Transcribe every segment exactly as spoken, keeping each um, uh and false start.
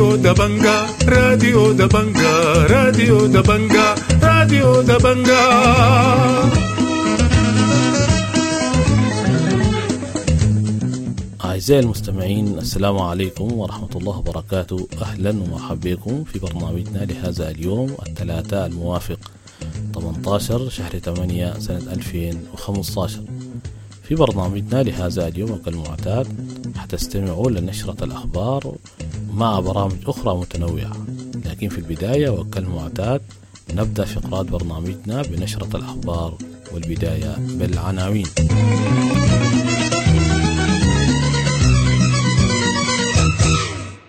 راديو دبنجا، راديو دبنجا، راديو دبنجا، راديو دبنجا. أعزائي المستمعين، السلام عليكم ورحمة الله وبركاته. أهلا ومرحبا بكم في برنامجنا لهذا اليوم الثلاثاء الموافق ثمانية عشر شهر ثمانية سنة ألفين وخمسة عشر. في برنامجنا لهذا اليوم وكالمعتاد حتستمعوا لنشرة الأخبار مع برامج أخرى متنوعة، لكن في البداية وكالمعتاد نبدأ فقرات برنامجنا بنشرة الأخبار، والبداية بالعناوين.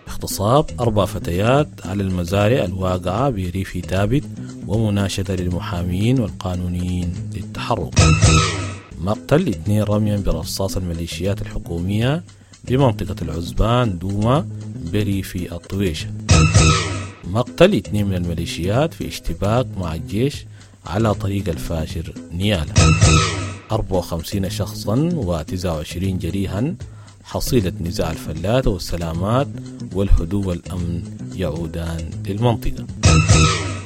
اغتصاب أربع فتيات على المزارع الواقعة بريف تابت ومناشدة للمحامين والقانونيين للتحرك. مقتل اثنين رميا برصاص الميليشيات الحكومية بمنطقة العزبان دوما بريف الطويشة. مقتل اثنين من الميليشيات في اشتباك مع الجيش على طريق الفاشر نيالا. أربعة وخمسين شخصا وتسعة وعشرين جريحا حصيلة نزاع الفلات والسلامات والهدوء والأمن يعودان للمنطقة.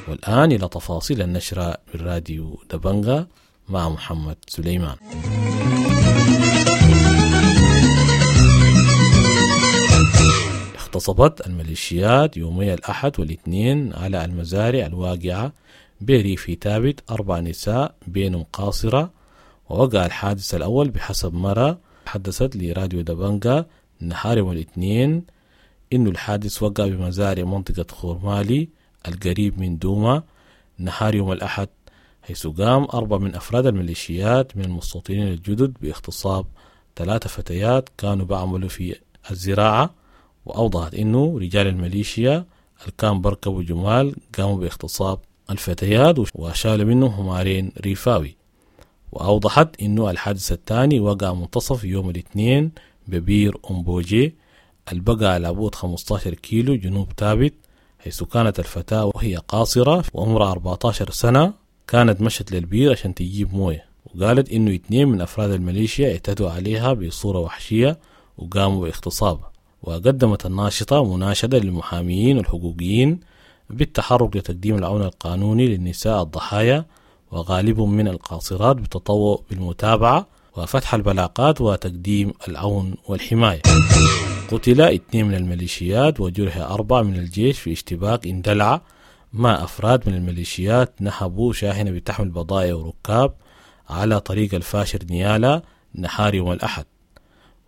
والآن إلى تفاصيل النشرة من راديو دبنجا مع محمد سليمان. اغتصبت الميليشيات يومي الأحد والاثنين على المزارع الواقعة بريف تابت أربع نساء بينهم قاصرة، ووقع الحادث الأول بحسب مرة حدثت لراديو دبنجا نهار يوم الاثنين إنه الحادث وقع بمزارع منطقة خورمالي القريب من دوما نهار يوم الأحد، حيث قام أربع من أفراد الميليشيات من المستوطنين الجدد باغتصاب ثلاثة فتيات كانوا بعملوا في الزراعة. وأوضحت إنه رجال الميليشيا اللي كان بركبوا جمال قاموا باغتصاب الفتيات وشالوا منهم همارين ريفاوي. وأوضحت إنه الحادث الثاني وقع منتصف يوم الاثنين ببير أمبوجي البقى على بعد خمسة عشر كيلو جنوب تابت، حيث كانت الفتاة وهي قاصرة وعمرها أربعة عشر سنة كانت مشت للبير عشان تجيب موية، وقالت إنه اثنين من أفراد الميليشيا اعتدوا عليها بصورة وحشية وقاموا باغتصابها. وقدمت الناشطة مناشدة للمحاميين والحقوقيين بالتحرك لتقديم العون القانوني للنساء الضحايا وغالبهم من القاصرات بالتطوع بالمتابعة وفتح البلاغات وتقديم العون والحماية. قتل اثنين من الميليشيات وجرح أربعة من الجيش في اشتباك اندلع مع أفراد من الميليشيات نهبوا شاحنة بتحمل بضائع وركاب على طريق الفاشر نيالا نهار يوم الأحد.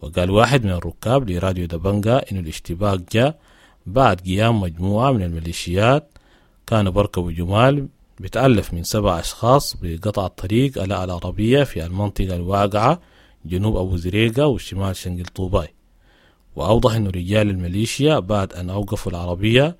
وقال واحد من الركاب لراديو دبنجا إن الاشتباك جاء بعد قيام مجموعة من الميليشيات كانوا بركبوا جمال بتألف من سبع أشخاص بقطع الطريق على العربية في المنطقة الواقعة جنوب أبو زريقة وشمال شنقل طوباي. وأوضح أن رجال الميليشيا بعد أن أوقفوا العربية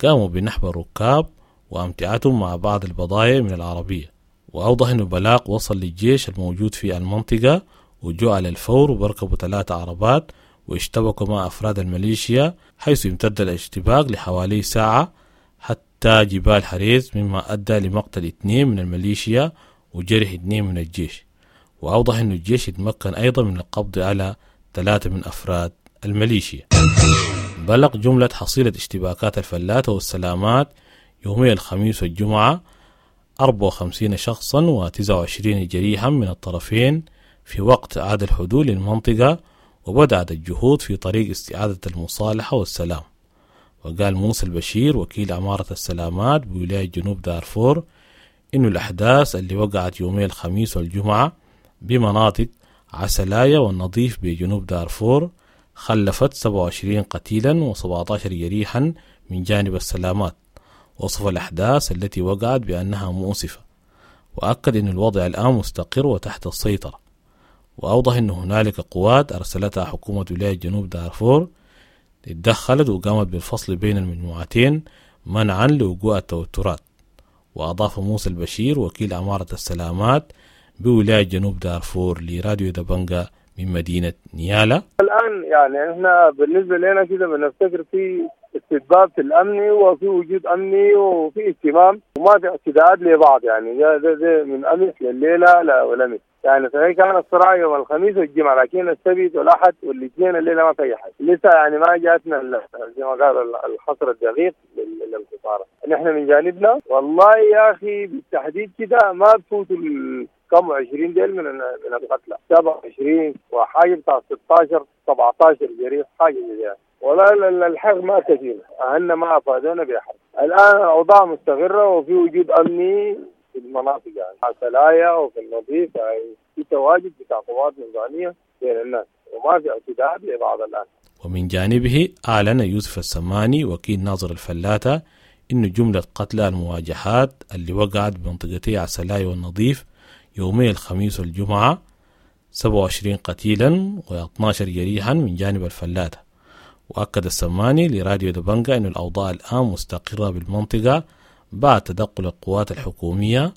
قاموا بنحب الركاب وأمتعتهم مع بعض البضائع من العربية. وأوضح أن البلاغ وصل للجيش الموجود في المنطقة وجاء على الفور وبركبوا ثلاثة عربات واشتبكوا مع أفراد الميليشيا، حيث امتد الاشتباك لحوالي ساعة حتى جبال حريز، مما أدى لمقتل اثنين من الميليشيا وجرح اثنين من الجيش. وأوضح أن الجيش يتمكن أيضا من القبض على ثلاثة من أفراد الميليشيا. بلغ جملة حصيلة اشتباكات الفلاتة والسلامات يومي الخميس والجمعة أربعة وخمسين شخصا وتسعة وعشرين جريحا من الطرفين في وقت عاد الحدود للمنطقة، وبدأت الجهود في طريق استعادة المصالحة والسلام. وقال موسى البشير وكيل عمارة السلامات بولاية جنوب دارفور إنه الأحداث اللي وقعت يومي الخميس والجمعة بمناطق عسلايا والنظيف بجنوب دارفور خلفت سبعة وعشرين قتيلا وسبعة عشر جريحا من جانب السلامات. وصف الأحداث التي وقعت بأنها مؤسفة، وأكد أن الوضع الآن مستقر وتحت السيطرة. وأوضح أن هنالك قوات أرسلتها حكومة ولاية جنوب دارفور اتدخلت وقامت بالفصل بين المجموعتين منعا لوقوع التوترات. وأضاف موسى البشير وكيل عمارة السلامات بولاية جنوب دارفور لراديو دبنجا من مدينة نيالا. الآن يعني احنا بالنسبة لنا كده بنفتكر في استتباب في الأمن وفي وجود أمني وفي اهتمام وما في اعتداءات لبعض، يعني ده, ده, ده من أمس لليلة لا والأمس، يعني صحيح كان الصراع يوم الخميس والجمعة، لكن السبت والأحد والاثنين الليلة ما في أي حاجة لسه، يعني ما جاتنا زي ما قال الحصر الدقيق للخسارة. نحن من جانبنا والله يا أخي بالتحديد كده ما بفوتوا كم عشرين ديل من من القتلى، سبعة وعشرين وحاجة بتاع ستة عشر سبعة عشر جريح حاجة زي يعني. ولا الحق ما كثير، أهلنا ما أفادونا بأحد. الآن الأوضاع مستقرة وفي وجود أمني في المناطق، يعني عسلايا وفي النظيف، يعني في تواجد بتاع قوات نظامية بين الناس وما في اعتداءات لبعض الآن. ومن جانبه أعلن يوسف السماني وكيل ناظر الفلاتة إن جملة قتلى المواجهات اللي وقعت بمنطقتي عسلايا والنظيف يومي الخميس والجمعة سبعة وعشرين قتيلا واثني عشر جريحا من جانب الفلاتة. وأكد السماني لراديو دبنجا أن الأوضاع الآن مستقرة بالمنطقة بعد تدخل القوات الحكومية.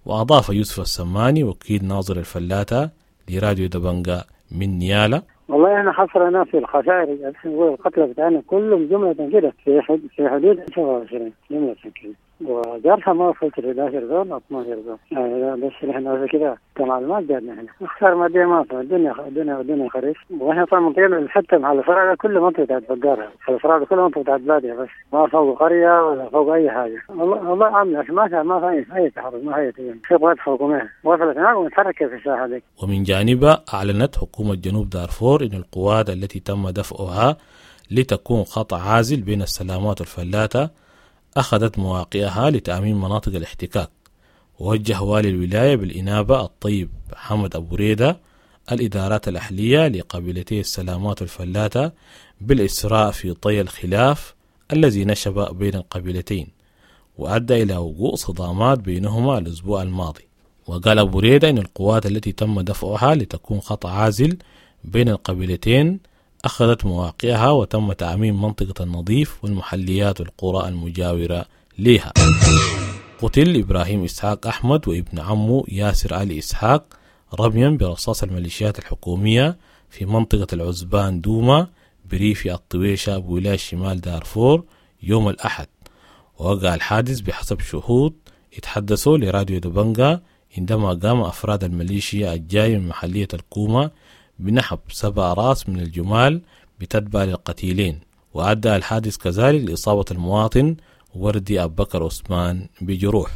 وأضاف يوسف السماني وكيل ناظر الفلاتة لراديو دبنجا من نيالا: والله احنا حصرنا في الخسائر، نقول القتلى بتاعنا كلهم جملة كده في في حدود سبعة وعشرين جملة كده، وجرحى ما وصلت ل إحدى عشر زول اثني عشر زول، يعني بس احنا كده كمعلومات جاتنا هنا. خسائر مادية ما في، الدنيا الدنيا الدنيا خريف، واحنا طبعا منطقتنا حتى مع الفرع كل منطقة بتاعت بقارة، الفرع كل منطقة بتاعت بادية، بس ما فوق قرية ولا فوق أي حاجة. والله والله عاملة ما في ما في أي تحرك، ما في في قوات حكومية وصلت هناك ومتحركة في الساحة دي. ومن جانبها أعلنت حكومة جنوب دارفور إن القوات التي تم دفعها لتكون خط عازل بين السلامات والفلاتة أخذت مواقعها لتأمين مناطق الاحتكاك. ووجه والي الولاية بالإنابة الطيب حمد أبو ريدة الإدارات الأهلية لقبيلتي السلامات والفلاتة بالإسراء في طي الخلاف الذي نشب بين القبيلتين وأدى إلى وقوع صدامات بينهما الأسبوع الماضي. وقال أبو ريدة إن القوات التي تم دفعها لتكون خط عازل بين القبيلتين أخذت مواقعها وتم تعميم منطقة النظيف والمحليات والقرى المجاورة لها. قتل إبراهيم إسحاق أحمد وابن عمه ياسر علي إسحاق رميا برصاص الميليشيات الحكومية في منطقة العزبان دوما بريف الطويشة بولاية شمال دارفور يوم الأحد. ووقع الحادث بحسب شهود اتحدثوا لراديو دبنجا عندما قام أفراد الميليشيا الجاي من محلية الكومة بنحب سبع راس من الجمال بتتبع للقتيلين. وأدى الحادث كذلك لإصابة المواطن وردي أبو بكر عثمان بجروح.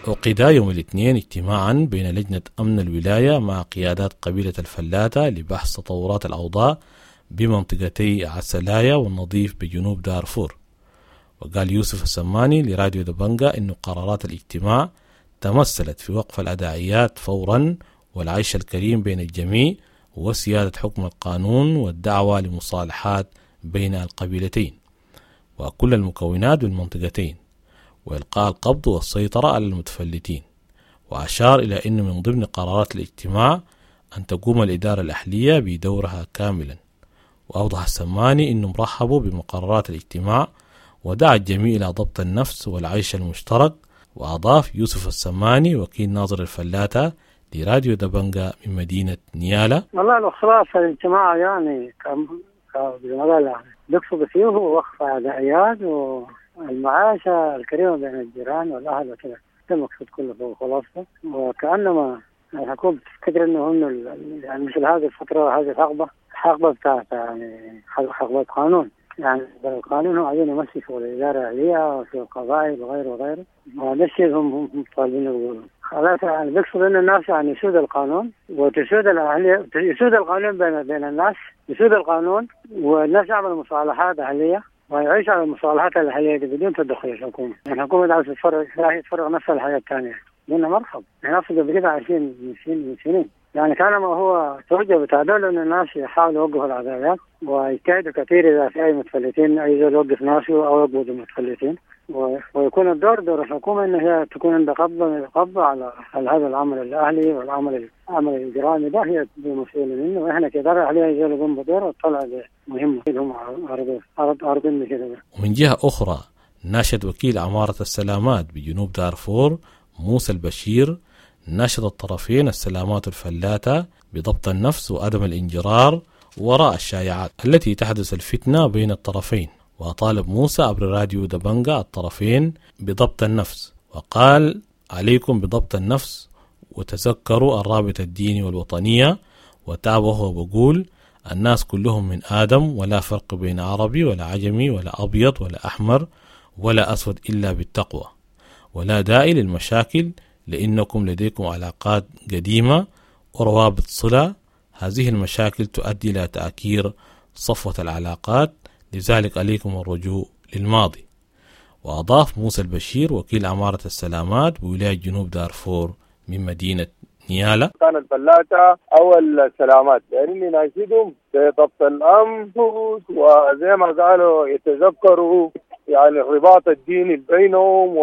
عقد يوم الاثنين اجتماعا بين لجنة أمن الولاية مع قيادات قبيلة الفلاتة لبحث تطورات الأوضاع بمنطقتي عسلايا والنظيف بجنوب دارفور. وقال يوسف السماني لراديو دبنجا إن قرارات الاجتماع تمثلت في وقف الأداعيات فورا والعيش الكريم بين الجميع وسيادة حكم القانون والدعوة لمصالحات بين القبيلتين وكل المكونات بالمنطقتين وإلقاء القبض والسيطرة على المتفلتين. وأشار إلى أنه من ضمن قرارات الاجتماع أن تقوم الإدارة الأهلية بدورها كاملا. وأوضح السماني أنهم رحبوا بمقررات الاجتماع ودعا الجميع إلى ضبط النفس والعيش المشترك. وأضاف يوسف السماني وكيل ناظر الفلاتة لراديو دبنجا من مدينة نيالا: والله الخلاصة الاجتماع يعني كم كم بيقصد فيه هو وقف عدائيات والمعاشة الكريمة بين الجيران والأهل وكذا، ده المقصود كله في خلاصته. وكأنما الحكومة تفتكر إنه إنه يعني مثل هذه الفترة هذه الحقبة حقبة بتاعت يعني حقبة قانون، يعني القانون هو عايزين يمشي شغل الإدارة الأهلية وفي القبائل وغيره وغيره، وهذا الشيء هم هم طالبين يقولون خلاص. يعني بيقصد إن الناس يعني يسود القانون وتسود الأهلية، يسود القانون بين بين الناس، يسود القانون والناس يعملوا مصالحات أهلية ويعيش على المصالحات الأهلية دي بدون تدخل الحكومة. يعني الحكومة عاوزة تفرغ راح تفرغ نفسها للحياة الثانية، قلنا مرحب. احنا أصلا قبل كده عايشين من سنين من سنين، يعني كان ما هو توجه بتاع دولة إن الناس يحاولوا يوقفوا العداوات ويجتهدوا كثير إذا في أي متفلتين أي زول يوقف ناسه أو يقبض المتفلتين، ويكون الدور دور الحكومة إن هي تكون عندها قبضة قبضة على على هذا العمل الأهلي والعمل العمل الإجرامي ده، هي مسؤولة منه. وإحنا كإدارة أهلية يزول يقوم بدور وطلع مهمة هم عرض عرضين كده. ومن جهة أخرى ناشد وكيل عمارة السلامات بجنوب دارفور موسى البشير ناشد الطرفين السلامات الفلاتة بضبط النفس وعدم الانجرار وراء الشائعات التي تحدث الفتنة بين الطرفين. وطالب موسى عبر راديو دبنجا الطرفين بضبط النفس، وقال: عليكم بضبط النفس وتذكروا الرابط الديني والوطنية. وتابعه وبقول: الناس كلهم من آدم، ولا فرق بين عربي ولا عجمي ولا أبيض ولا أحمر ولا أسود إلا بالتقوى، ولا داعي للمشاكل لأنكم لديكم علاقات قديمة وروابط صلة. هذه المشاكل تؤدي إلى تأكير صفوة العلاقات، لذلك عليكم الرجوع للماضي. وأضاف موسى البشير وكيل عمارة السلامات بولاية جنوب دارفور من مدينة نيالا: كان الفلاتة أو السلامات يعني ناشدهم بضبط الأنفس، وزي ما قالوا يتذكروا يعني الرباط الديني بينهم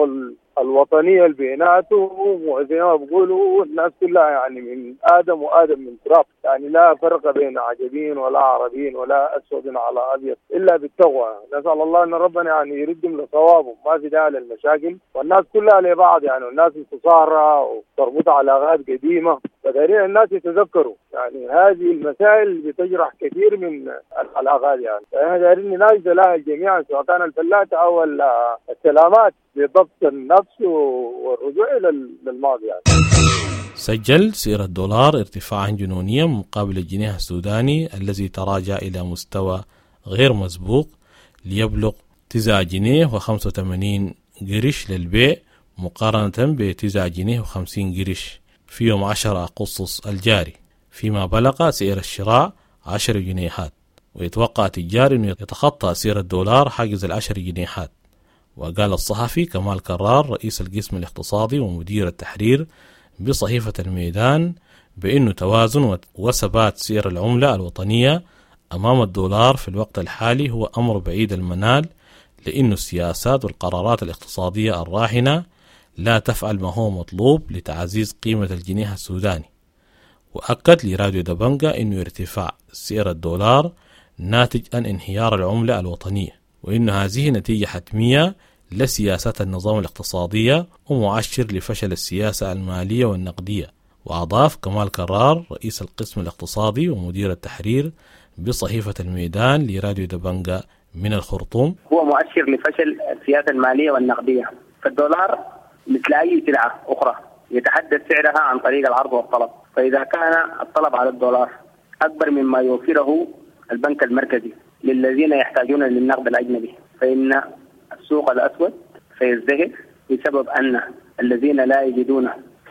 والوطنية اللي بيناتهم، وزي ما بيقولوا الناس كلها يعني من آدم وآدم من تراب، يعني لا فرق بين عجبين ولا عربيين ولا أسود على أبيض إلا بالتقوى. نسأل الله أن ربنا يعني يردهم لصوابهم، ما في داعي للمشاكل، والناس كلها لبعض يعني، الناس متصارعة وتربط علاقات قديمة، فدارين الناس يتذكروا يعني هذه المسائل بتجرح كثير من العلاقات يعني. فإحنا دارين نناشد لها الجميع سواء كان الفلاتة أو السلامات بضبط النفس والرجوع إلى الماضي يعني. سجل سعر الدولار ارتفاعا جنونيا مقابل الجنيه السوداني الذي تراجع إلى مستوى غير مسبوق ليبلغ تسعة جنيه وخمسة وثمانين قرش للبيع مقارنة بتسعة جنيه وخمسين قرش في يوم عشرة أغسطس الجاري، فيما بلغ سعر الشراء عشر جنيهات. ويتوقع تجار أنه يتخطى سعر الدولار حاجز العشر جنيهات. وقال الصحفي كمال كرار رئيس القسم الاقتصادي ومدير التحرير بصحيفة الميدان بأنه توازن وثبات سعر العملة الوطنية أمام الدولار في الوقت الحالي هو أمر بعيد المنال، لأن السياسات والقرارات الاقتصادية الراهنة لا تفعل ما هو مطلوب لتعزيز قيمة الجنيه السوداني. وأكد لراديو دبنجا أنه ارتفاع سعر الدولار ناتج عن انهيار العملة الوطنية، وإن هذه نتيجة حتمية لسياسات النظام الاقتصادية ومؤشر لفشل السياسة المالية والنقدية. وأضاف كمال كرار رئيس القسم الاقتصادي ومدير التحرير بصحيفة الميدان لراديو دبنجا من الخرطوم: هو مؤشر لفشل السياسة المالية والنقدية، فالدولار مثل أي سلعة أخرى يتحدد سعرها عن طريق العرض والطلب، فإذا كان الطلب على الدولار أكبر مما يوفره البنك المركزي للذين يحتاجون للنقد الأجنبي، فإن السوق الأسود سيزدهر بسبب أن الذين لا يجدون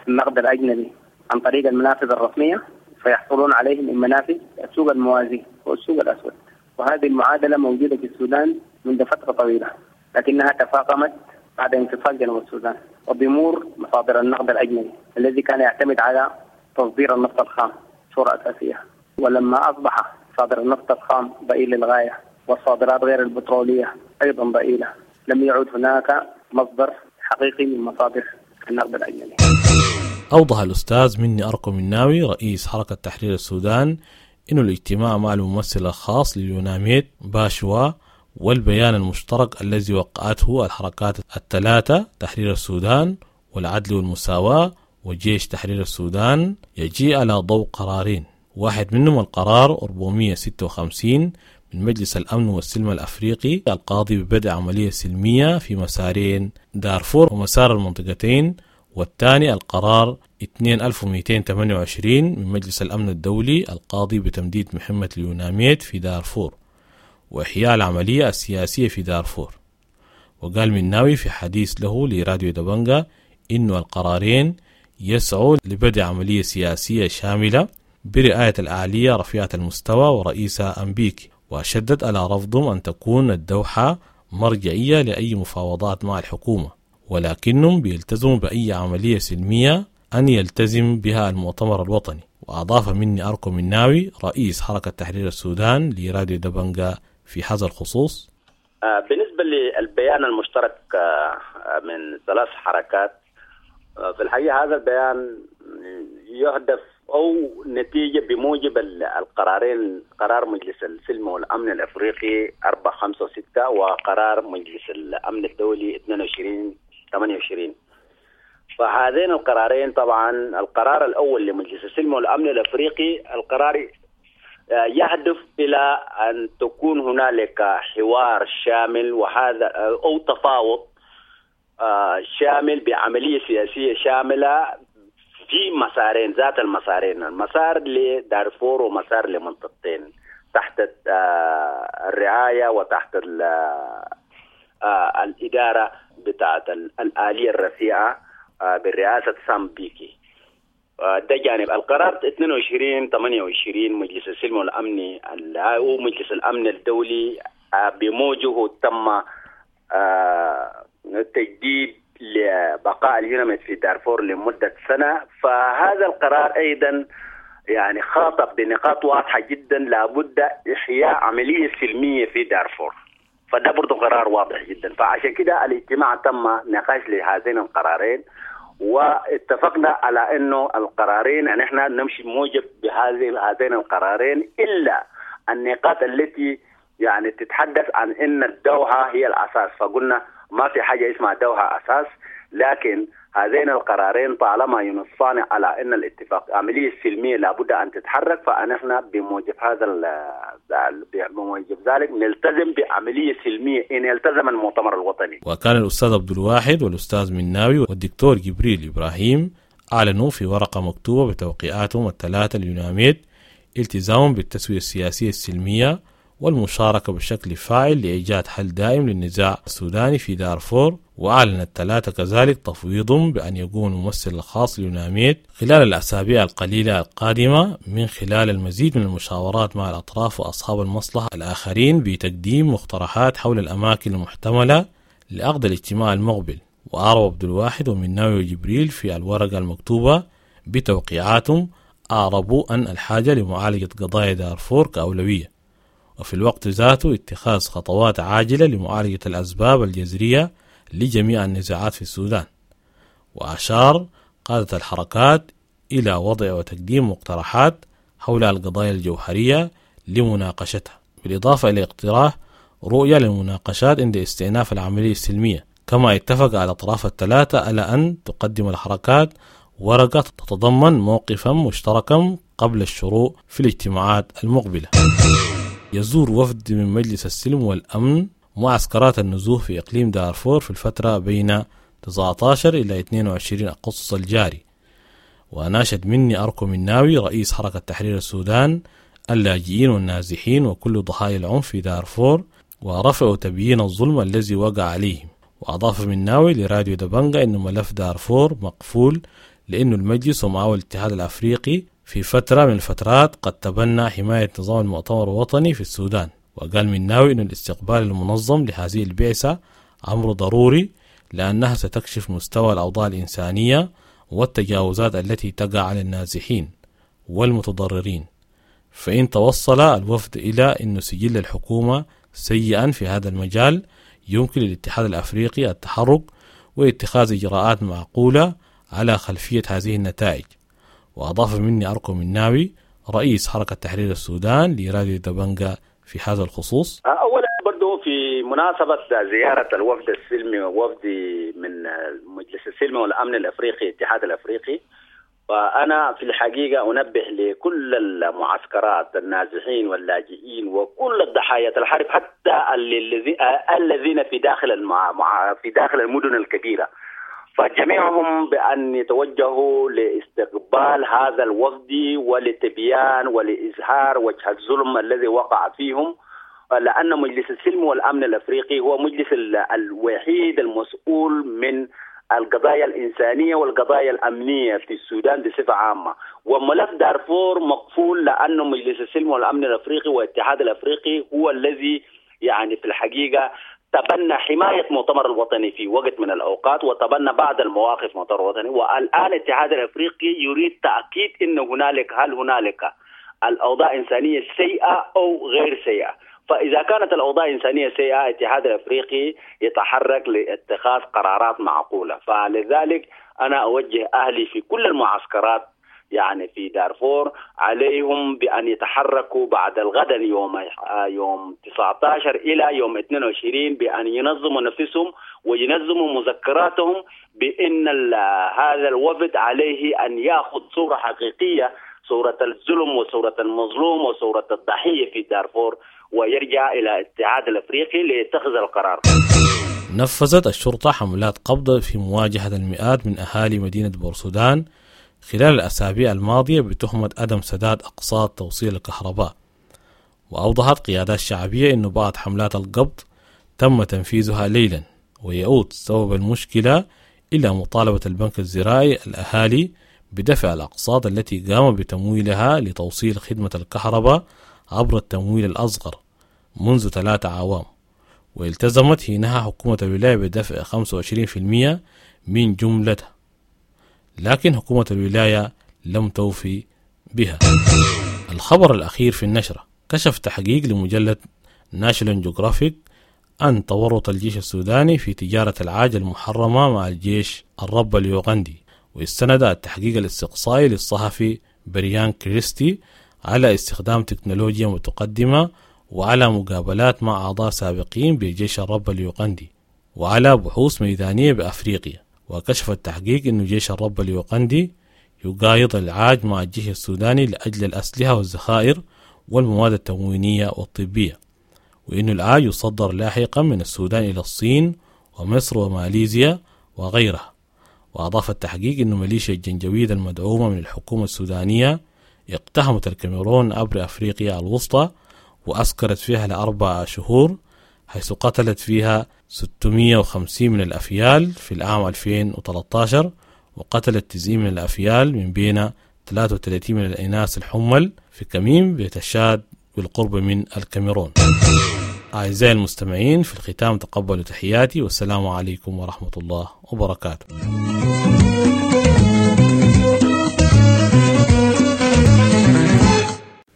النقد الأجنبي عن طريق المنافذ الرسمية فيحصلون عليه من منافذ السوق الموازي والسوق الأسود. وهذه المعادلة موجودة في السودان منذ فترة طويلة، لكنها تفاقمت بعد انفصال جنوب السودان وضمور مصادر النقد الأجنبي الذي كان يعتمد على تصدير النفط الخام صورة أساسية. ولما أصبح صادر النفط الخام ضئيل للغاية والصادرات غير البترولية أيضا ضئيلة، لم يعد هناك مصدر حقيقي من مصادر النقد الأجنبي. أوضح الأستاذ مني أركو مناوي رئيس حركة تحرير السودان إنه الاجتماع مع الممثل الخاص لليوناميد باشوا والبيان المشترك الذي وقعته الحركات الثلاثة تحرير السودان والعدل والمساواة وجيش تحرير السودان يجي على ضوء قرارين، واحد منهم القرار أربعمئة وستة وخمسين من مجلس الأمن والسلم الأفريقي القاضي ببدء عملية سلمية في مسارين دارفور ومسار المنطقتين، والثاني القرار ألفين ومئتين وثمانية وعشرين من مجلس الأمن الدولي القاضي بتمديد مهمة اليوناميد في دارفور وإحياء العملية السياسية في دارفور. وقال مناوي في حديث له لراديو دبنجا إنه القرارين يسعوا لبدء عملية سياسية شاملة برعاية الأعلية رفيعة المستوى ورئيسة أمبيكي، وشدد على رفضهم أن تكون الدوحة مرجعية لأي مفاوضات مع الحكومة، ولكنهم بيلتزموا بأي عملية سلمية أن يلتزم بها المؤتمر الوطني. وأضاف مني أركو مناوي رئيس حركة تحرير السودان لراديو دبنجا في هذا الخصوص: بالنسبة للبيان المشترك من ثلاث حركات، في الحقيقة هذا البيان يهدف أو نتيجة بموجب القرارين، قرار مجلس السلم والأمن الأفريقي أربعة خمسة ستة وقرار مجلس الأمن الدولي اثنين وعشرين ثمانية وعشرين. فهذين القرارين طبعا، القرار الأول لمجلس السلم والأمن الأفريقي، القرار يهدف إلى أن تكون هنالك حوار شامل وهذا أو تفاوض شامل بعملية سياسية شاملة في مسارين، ذات المسارين، المسار لدارفور ومسار لمنطقتين تحت الرعاية وتحت الإدارة بتاعت الآلية الرفيعة برئاسة سام بيكي. ده جانب القرار اثنين وعشرين ثمانية وعشرين مجلس السلم والأمن ومجلس الأمن الدولي بموجه تم تجديد لبقاء اليوناميد في دارفور لمدة سنة. فهذا القرار أيضا يعني خاطب بنقاط واضحة جدا، لابد إحياء عملية سلمية في دارفور، فده برضو قرار واضح جدا. فعشان كده الاجتماع تم نقاش لهذين القرارين، واتفقنا على انه القرارين ان احنا نمشي موجب بهذه هذين القرارين، الا النقاط التي يعني تتحدث عن ان الدوحة هي الاساس، فقلنا ما في حاجة اسمها دوحة اساس، لكن هذين القرارين طالما ينصان على ان الاتفاق عملية سلمية لابد ان تتحرك، فنحن بموجب هذا بموجب ذلك نلتزم بعملية سلمية ان التزم المؤتمر الوطني. وكان الاستاذ عبد الواحد والاستاذ مناوي والدكتور جبريل ابراهيم اعلنوا في ورقة مكتوبة بتوقيعاتهم الثلاثة اليوناميد التزامهم بالتسويه السياسية السلمية والمشاركة بشكل فاعل لإيجاد حل دائم للنزاع السوداني في دارفور. وأعلن الثلاثة كذلك تفويضهم بأن يكون الممثل الخاص ليوناميد خلال الأسابيع القليلة القادمة من خلال المزيد من المشاورات مع الأطراف وأصحاب المصلحة الآخرين بتقديم مقترحات حول الأماكن المحتملة لعقد الاجتماع المقبل. وأعرب عبد الواحد ومناوي وجبريل في الورقة المكتوبة بتوقيعاتهم أعربوا أن الحاجة لمعالجة قضايا دارفور كأولوية، وفي الوقت ذاته اتخاذ خطوات عاجلة لمعالجة الأسباب الجذرية لجميع النزاعات في السودان. وأشار قادة الحركات إلى وضع وتقديم مقترحات حول القضايا الجوهرية لمناقشتها، بالإضافة إلى اقتراح رؤية للمناقشات عند استئناف العملية السلمية. كما اتفق على الأطراف الثلاثة على أن تقدم الحركات ورقة تتضمن موقفا مشتركا قبل الشروع في الاجتماعات المقبلة. يزور وفد من مجلس السلم والأمن معسكرات النزوح في إقليم دارفور في الفترة بين تسعة عشر إلى اثنين وعشرين أغسطس الجاري. وناشد مني أركو مناوي رئيس حركة تحرير السودان اللاجئين والنازحين وكل ضحايا العنف في دارفور ورفع تبيين الظلم الذي وقع عليهم. وأضاف مناوي لراديو دبنجا أن ملف دارفور مقفول لأنه المجلس ومعه الاتحاد الأفريقي في فترة من الفترات قد تبنى حماية نظام المؤتمر الوطني في السودان. وقال مناوي أن الاستقبال المنظم لهذه البعثة أمر ضروري لأنها ستكشف مستوى الأوضاع الإنسانية والتجاوزات التي تقع على النازحين والمتضررين. فإن توصل الوفد إلى أن سجل الحكومة سيئا في هذا المجال يمكن للاتحاد الأفريقي التحرك واتخاذ إجراءات معقولة على خلفية هذه النتائج. وأضاف مني أركو مناوي رئيس حركة تحرير السودان لراديو دبنجا في هذا الخصوص: أولا برضو في مناسبة زيارة الوفد السلمي ووفد من مجلس السلم والأمن الأفريقي الاتحاد الأفريقي، فأنا في الحقيقة أنبه لكل المعسكرات النازحين واللاجئين وكل الضحايا الحرب حتى الذين في داخل المع... في داخل المدن الكبيرة، فجميعهم بأن يتوجهوا لاستقبال هذا الوفد ولتبيان ولإظهار وجه الظلم الذي وقع فيهم، لأن مجلس السلم والأمن الأفريقي هو مجلس الوحيد المسؤول من القضايا الإنسانية والقضايا الأمنية في السودان بصفة عامة. وملف دارفور مقفول لأنه مجلس السلم والأمن الأفريقي والاتحاد الأفريقي هو الذي يعني في الحقيقة تبنى حماية مؤتمر الوطني في وقت من الأوقات وتبنى بعض المواقف مؤتمر الوطني، والآن الاتحاد الأفريقي يريد تأكيد أن هنالك هل هنالك الأوضاع إنسانية سيئة أو غير سيئة. فإذا كانت الأوضاع الإنسانية سيئة الاتحاد الأفريقي يتحرك لاتخاذ قرارات معقولة. فلذلك أنا أوجه أهلي في كل المعسكرات يعني في دارفور عليهم بأن يتحركوا بعد الغد يوم يوم تسعة عشر إلى يوم اثنين وعشرين بأن ينظموا نفسهم وينظموا مذكراتهم بأن هذا الوفد عليه أن يأخذ صورة حقيقية، صورة الظلم وصورة المظلوم وصورة الضحية في دارفور، ويرجع إلى الاتحاد الأفريقي ليتخذ القرار. نفذت الشرطة حملات قبض في مواجهة المئات من أهالي مدينة بورسودان خلال الأسابيع الماضية بتهمة عدم سداد أقساط توصيل الكهرباء. وأوضحت قيادات شعبية أن بعض حملات القبض تم تنفيذها ليلا، ويعود سبب المشكلة إلى مطالبة البنك الزراعي الأهالي بدفع الأقساط التي قام بتمويلها لتوصيل خدمة الكهرباء عبر التمويل الأصغر منذ ثلاثة أعوام. والتزمت حينها حكومة الولاية بدفع خمسة وعشرين بالمئة من جملتها، لكن حكومة الولاية لم توفي بها. الخبر الأخير في النشرة: كشف تحقيق لمجلة ناشونال جيوغرافيك أن تورط الجيش السوداني في تجارة العاج المحرمة مع الجيش الرب اليوغندي. واستند التحقيق الاستقصائي للصحفي بريان كريستي على استخدام تكنولوجيا متقدمة وعلى مقابلات مع أعضاء سابقين بجيش الرب اليوغندي وعلى بحوث ميدانية بأفريقيا. وكشف التحقيق أن جيش الرب اليوغندي يقايض العاج مع الجيش السوداني لأجل الأسلحة والذخائر والمواد التموينية والطبية، وأن العاج يصدر لاحقا من السودان إلى الصين ومصر وماليزيا وغيرها. وأضاف التحقيق أن ميليشيا الجنجويد المدعومة من الحكومة السودانية اقتحمت الكاميرون عبر أفريقيا الوسطى وأسكرت فيها لأربع شهور، حيث قتلت فيها ستمائة وخمسين من الأفيال في العام ألفين وثلاثة عشر، وقتلت تسعين من الأفيال من بين ثلاثة وثلاثين من الإناث الحمل في كميم بتشاد بالقرب من الكاميرون. أعزائي المستمعين، في الختام تقبلوا تحياتي، والسلام عليكم ورحمة الله وبركاته.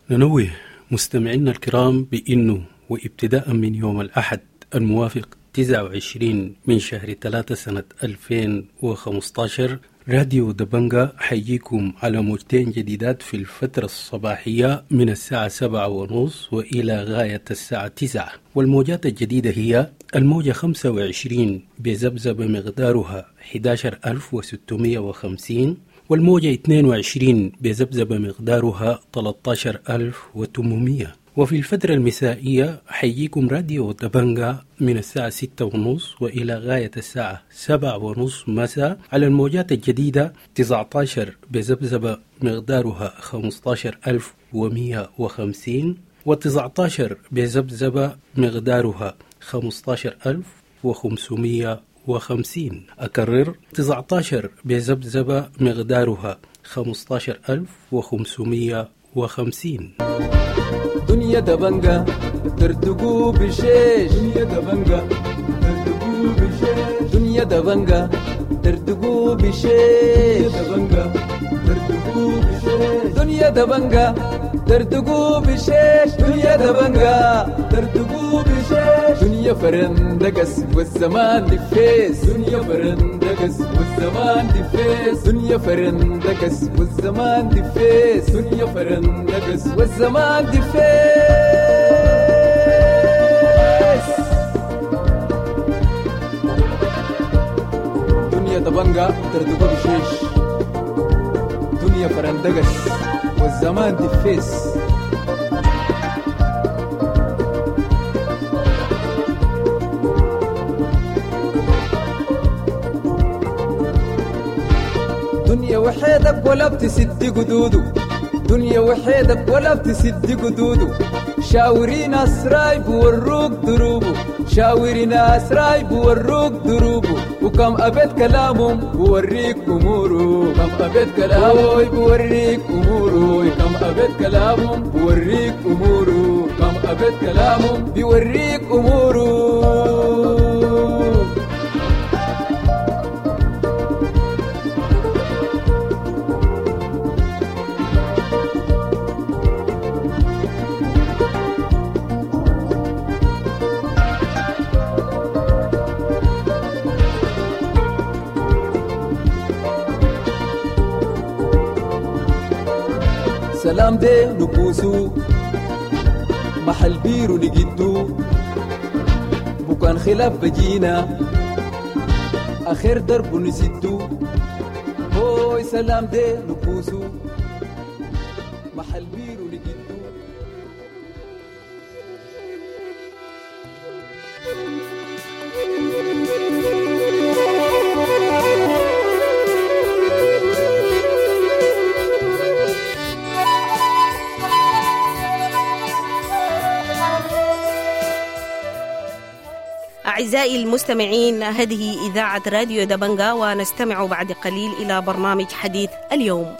ننوه مستمعينا الكرام بأنه وابتداء من يوم الأحد الموافق تسعة وعشرين من شهر ثلاثة سنة ألفين وخمسة عشر راديو دبنجا حييكم على موجتين جديدات في الفترة الصباحية من الساعة سبعة ونص وإلى غاية الساعة تسعة، والموجات الجديدة هي الموجة خمسة وعشرين بذبذبة مقدارها أحد عشر ألف وستمائة وخمسين، والموجة اثنين وعشرين بذبذبة مقدارها ثلاثة عشر ألف وثمانمائة. وفي الفترة المسائية حييكم راديو دبنجا من الساعة ستة ونص وإلى غاية الساعة سبعة ونص مساء على الموجات الجديدة تسعة عشر بذبذبة مقدارها خمسة عشر ألف ومئة وخمسين، وتسعة عشر بذبذبة مقدارها خمسة عشر ألف وخمسمائة وخمسين. أكرر، تسعة عشر بذبذبة مقدارها خمسة عشر ألف وخمسمائة وخمسين. دنيا دبنجا ترتقو بشيش، دنيا دبنجا ترتقو بشيش، دنيا دبنجا ترتقو بشيش، دبنجا ترتقو بشيش، دنيا دبنجا ترتقو بشيش، دنيا دبنجا ترتقو بشيش، دنيا فرندقس والزمان دفيس، دنيا فرندقس والزمان دفيس، دنيا فرندقس والزمان دفيس، دنيا فرندقس والزمان دفيس. دنيا دبنجا ترتقو بشيش، دنيا فرندقس والزمان دفيس. دنيا وحيدك ولا بتسد قدوده، دنيا وحيدك ولا بتسد قدوده، شاوري ناس رايب وروك دروبه، شاوري ناس رايب وروك دروبه، وكم أبيت كلامهم بوريك أموره، كم أبيت كلامه بوريك أموره، كم أبيت كلامهم بوريك أموره، كم أبيت كلامهم بيوريك أموره. سلام دي نبوسو محل بيرو نجدو بكان خلاف بجينا آخر درب نسدو هوي سلام دي نبوسو محل بيرو نجدو. أعزائي المستمعين، هذه إذاعة راديو دبنجا، ونستمع بعد قليل إلى برنامج حديث اليوم.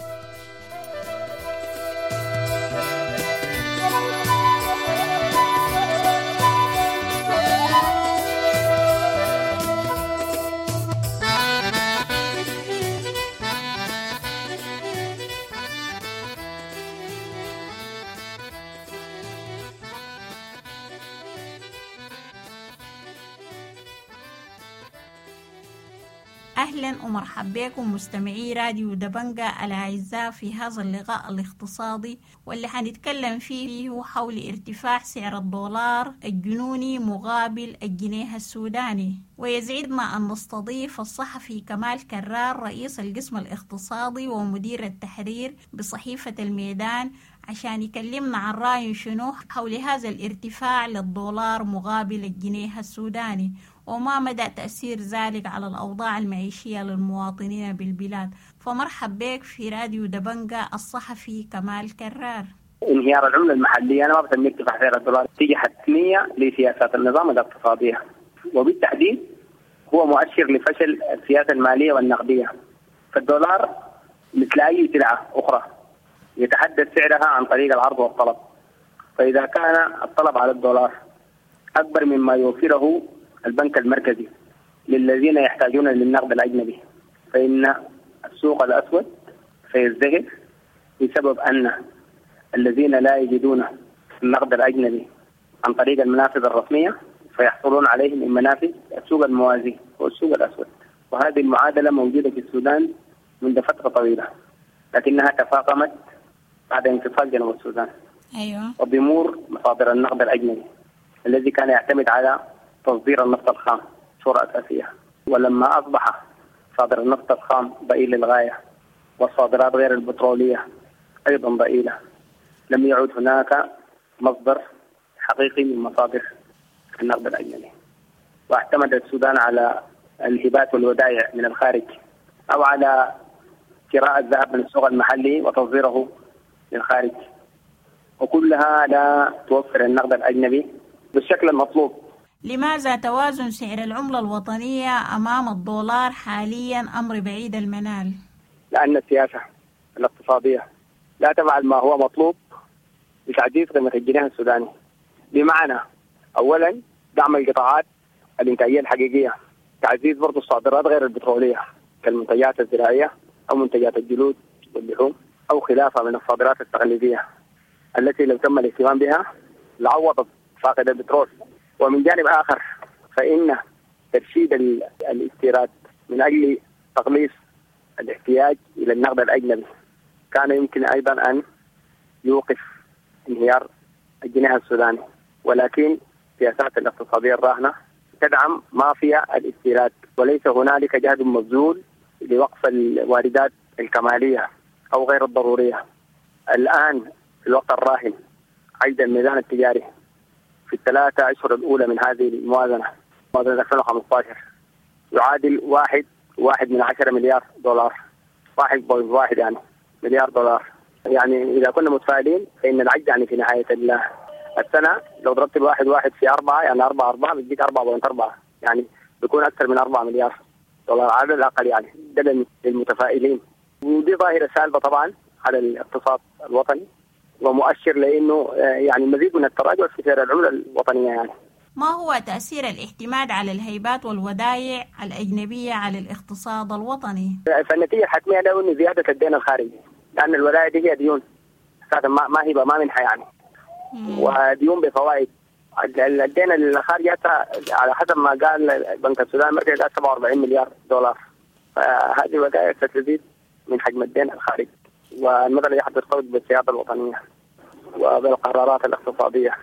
أهلا ومرحبا بكم مستمعي راديو دبنجا الأعزاء في هذا اللقاء الاقتصادي واللي حنتكلم فيه حول ارتفاع سعر الدولار الجنوني مقابل الجنيه السوداني. ويسعدنا أن نستضيف الصحفي كمال كرار، رئيس القسم الاقتصادي ومدير التحرير بصحيفة الميدان، عشان يكلمنا عن رأيه شنو حول هذا الارتفاع للدولار مقابل الجنيه السوداني، وما مدى تأثير ذلك على الأوضاع المعيشية للمواطنين بالبلاد. فمرحب بك في راديو دبنجا الصحفي كمال كرار. انهيار العملة المحلية أنا ما بسميه ارتفاع سعر الدولار، نتيجة حتمية لسياسات النظام الاقتصادية، وبالتحديد هو مؤشر لفشل السياسة المالية والنقدية. فالدولار مثل أي سلعة أخرى يتحدد سعرها عن طريق العرض والطلب، فإذا كان الطلب على الدولار أكبر مما يوفره البنك المركزي للذين يحتاجون للنقد الأجنبي، فإن السوق الأسود سيزدهر بسبب أن الذين لا يجدون النقد الأجنبي عن طريق المنافذ الرسمية فيحصلون عليه من منافذ السوق الموازي والسوق الأسود. وهذه المعادلة موجودة في السودان منذ فترة طويلة، لكنها تفاقمت بعد انفصال جنوب السودان. أيوة. وبمور مصادر النقد الأجنبي الذي كان يعتمد على تصدير النفط الخام صورة أساسية، ولما أصبح صادر النفط الخام ضئيل للغاية والصادرات غير البترولية أيضا ضئيلة، لم يعد هناك مصدر حقيقي من مصادر النقد الأجنبي. واعتمد السودان على الهبات والودائع من الخارج أو على شراء الذهب من السوق المحلي وتصديره للخارج، وكلها لا توفر النقد الأجنبي بالشكل المطلوب. لماذا توازن سعر العملة الوطنية أمام الدولار حاليا أمر بعيد المنال؟ لأن السياسة الاقتصادية لا تفعل ما هو مطلوب لتعزيز قيمة الجنيه السوداني، بمعنى أولا دعم القطاعات الإنتاجية الحقيقية، تعزيز برضو الصادرات غير البترولية كالمنتجات الزراعية أو منتجات الجلود واللحوم أو خلافها من الصادرات التقليدية التي لو تم الاهتمام بها لعوضت فاقد البترول. ومن جانب آخر فإن ترشيد الاستيراد من أجل تقليص الاحتياج إلى النقد الأجنبي كان يمكن أيضا أن يوقف انهيار الجنيه السوداني، ولكن السياسات الاقتصادية الراهنة تدعم مافيا الاستيراد، وليس هنالك جهد مبذول لوقف الواردات الكمالية أو غير الضرورية. الآن في الوقت الراهن عجز الميزان التجاري في الثلاثة أشهر الأولى من هذه الموازنة، موازنة ألفين وخمسة عشر، يعادل واحد واحد من عشرة مليار دولار، واحد بوينت واحد يعني مليار دولار. يعني إذا كنا متفائلين فإن العجز يعني في نهاية السنة لو ضربت الواحد واحد في أربعة يعني أربعة أربعة بيديك أربعة point أربعة، يعني بيكون أكثر من أربعة مليار دولار على الأقل، يعني ده للمتفائلين. ودي ظاهرة سالبة طبعا على الاقتصاد الوطني ومؤشر لأنه يعني مزيد من التراجع في سعر العملة الوطنية. يعني ما هو تأثير الاعتماد على الهيبات والودائع الأجنبية على الاقتصاد الوطني؟ فالنتيجة الحتمية له إنه زيادة الدين الخارجي، لأن الودائع دي هي ديون أساسا ما ما هي ما منها يعني، وديون بفوائد. الدين الخارجي على حسب ما قال بنك السودان المركزي قال سبعة وأربعين مليار دولار، فهذه الودائع ستزيد من حجم الدين الخارجي. والمسألة دي حترتبط بالسيادة الوطنية وبالقرارات الاقتصادية،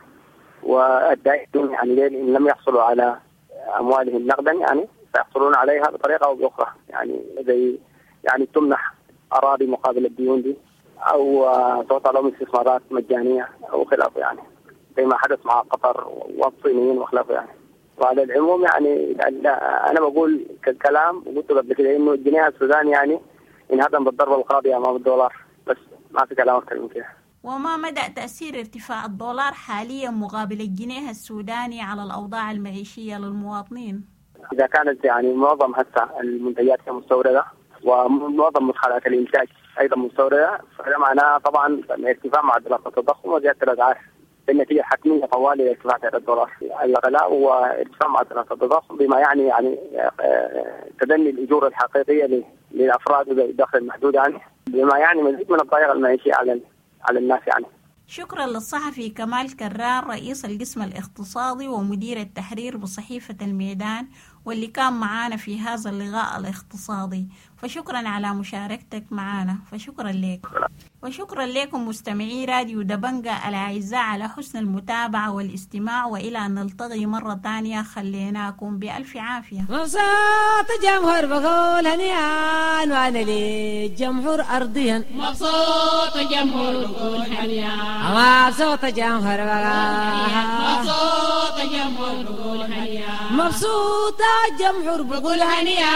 والدائنون يعني إن لم يحصلوا على أموالهم نقدا يعني سيحصلون عليها بطريقة أو بأخرى، يعني زي يعني تمنح أراضي مقابل الديون دي، أو تعطى لهم استثمارات مجانية أو خلافه، يعني زي ما حدث مع قطر والصينيين وخلافه يعني. وعلى العموم يعني أنا بقول كالكلام وقلت قبل كده إنه الجنيه السوداني يعني انهدم بالضربة القاضية أمام الدولار، بس ما في كلام أكثر من كده. وما مدى تأثير ارتفاع الدولار حاليا مقابل الجنيه السوداني على الأوضاع المعيشية للمواطنين؟ إذا كانت يعني معظم هسه المنتجات مستوردة ومعظم مدخلات الإنتاج أيضا مستوردة، فهذا معناه طبعا ارتفاع معدلات التضخم وزيادة الأسعار، بالنتيجة الحتمية طوال ارتفاع سعر الدولار، الغلاء وارتفاع معدلات التضخم، بما يعني يعني تدني الأجور الحقيقية للأفراد ذوي الدخل المحدود يعني، بما يعني مزيد من الضائقة المعيشية على على الناس يعني. شكرا للصحفي كمال كرار رئيس القسم الاقتصادي ومدير التحرير بصحيفة الميدان، واللي كان معانا في هذا اللقاء الاقتصادي، فشكرا على مشاركتك معنا، فشكرا لك. وشكرا لكم مستمعي راديو دبنجة الأعزاء على حسن المتابعة والاستماع، وإلى أن نلتقي مرة تانية خليناكم بألف عافية. مبسوط الجمهور بقول هنيئا، وأنا للجمهور أرضيا. مبسوط الجمهور بقول هنيئا، مبسوط الجمهور بقول، مبسوط الجمهور بقول هنيئا، مبسوط الجمهور بقول هنيئا،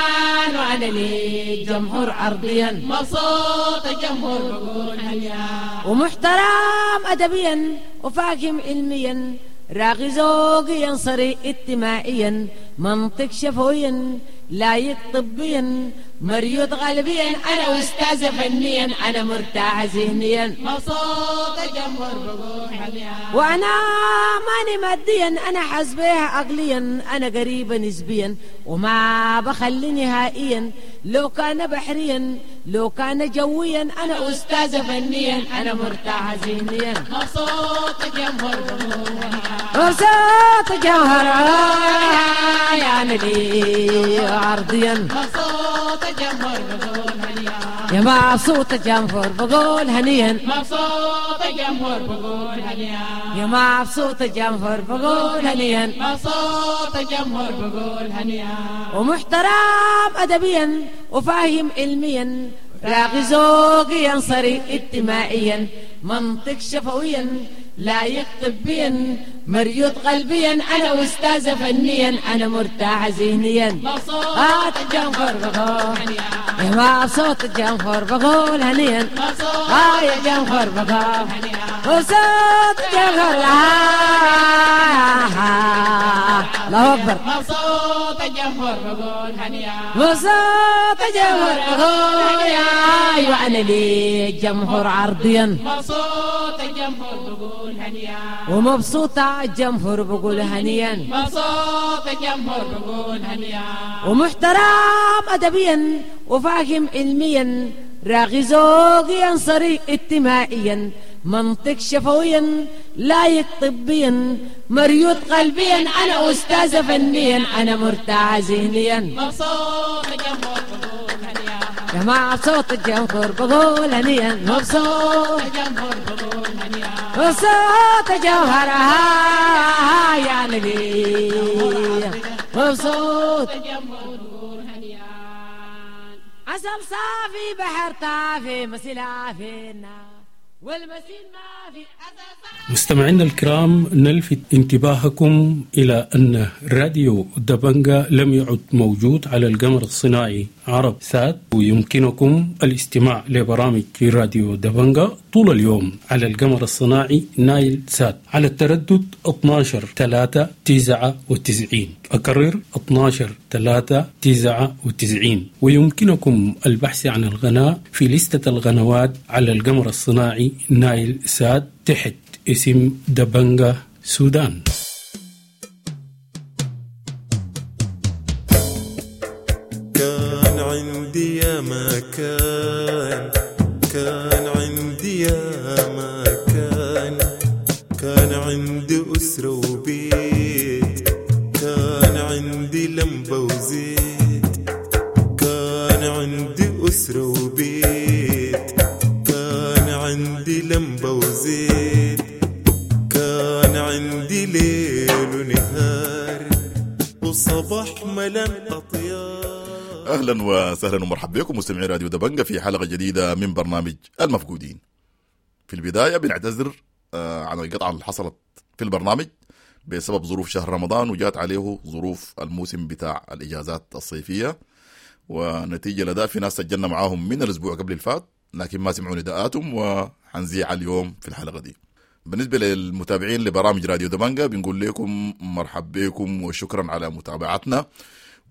وأنا للجمهور أرضيا. مبسوط الجمهور بقول هنيئا، ومحترم أدبيا وفاهم علميا، راغي ذوقيا صري اجتماعيا، منطق شفويا لايق طبيا، مريض غالبيا، أنا أستاذ فنيا، أنا مرتاح ذهنيا. مبسوط الجمهور بقول هنيئا، وأنا ماني ماديا، أنا حاسبها عقليا، أنا قريبة نسبيا وما بخلي نهائيا، لو كان بحريا لو كان جويا، أنا أستاذ فنيا، أنا مرتاح ذهنيا. مبسوط الجمهور بقول هنيئا، مبسوط الجمهور يا نبي عرضيا. مبسوط الجمهور بقول هنيئا، يا مبسوط الجمهور بقول هنيئا، مبسوط الجمهور بقول هنيئا، يا مبسوط الجمهور بقول هنيئا، مبسوط الجمهور بقول هنيئا، ومحترم أدبيا وفاهم علميا، راغي ذوقيا صري اجتماعيا، منطق شفويا لايق طبيا، مريض قلبيا، أنا أستاذ فنيا، أنا مرتاح ذهنيا. مبسوط الجمهور بقول يا مبسوط الجمهور بقول هنيئا، آه يا جمهور بقول مبسوط الجمهور، الله أكبر. مبسوط الجمهور بقول هنيئا، مبسوط الجمهور بقول يا وأنا للجمهور عرضيا. مبسوط الجمهور بقول هنيئا، ومبسوطة الجمهور بقول هنيئا، مبسوط الجمهور بقول هنيئا، ومحترم أدبيا وفاهم علميا، راغي ذوقيا صري اجتماعيا، منطق شفويا لايق طبيا، مريض قلبيا، أنا أستاذ فنيا، أنا مرتاح ذهنيا. مبسوط الجمهور بقول هنيئا، يا مبسوط الجمهور بقول هنيئا، مبسوط الجمهور بقول هنيئا، مبسوط الجوهر يا نبي، مبسوط الجمهور بقول هنيئا. عسل صافي بحر طافي مسيل عافينا والمسيل ما في. مستمعينا الكرام، نلفت انتباهكم إلى أن راديو دبنجا لم يعد موجود على القمر الصناعي عرب سات، ويمكنكم الاستماع لبرامج راديو دبنجا طول اليوم على القمر الصناعي نايل سات على التردد اثنا عشر ثلاثة تسعة وتسعين، أكرر اثنا عشر ثلاثة تسعة وتسعين. ويمكنكم البحث عن القناة في لستة القنوات على القمر الصناعي نايل سات تحت اسم دبنجا سودان. كان عندي يا مكان، كان عندي يا مكان، كان عندي أسرة وبيت، كان عندي لمبة وزيت، كان عندي أسرة وبيت، كان البيت، كان عندي ليل ونهار وصباح ملان أطيار. اهلا وسهلا ومرحبا بكم مستمعي راديو دبنجة في حلقة جديدة من برنامج المفقودين. في البداية بنعتذر آه، عن القطعة اللي حصلت في البرنامج بسبب ظروف شهر رمضان، وجات عليه ظروف الموسم بتاع الاجازات الصيفية، ونتيجة لده في ناس سجلنا معاهم من الاسبوع قبل الفات لكن ما سمعوا نداءاتهم، وحنذيع اليوم في الحلقة دي. بالنسبة للمتابعين لبرامج راديو دبنجة بنقول لكم مرحب بكم وشكرا على متابعتنا،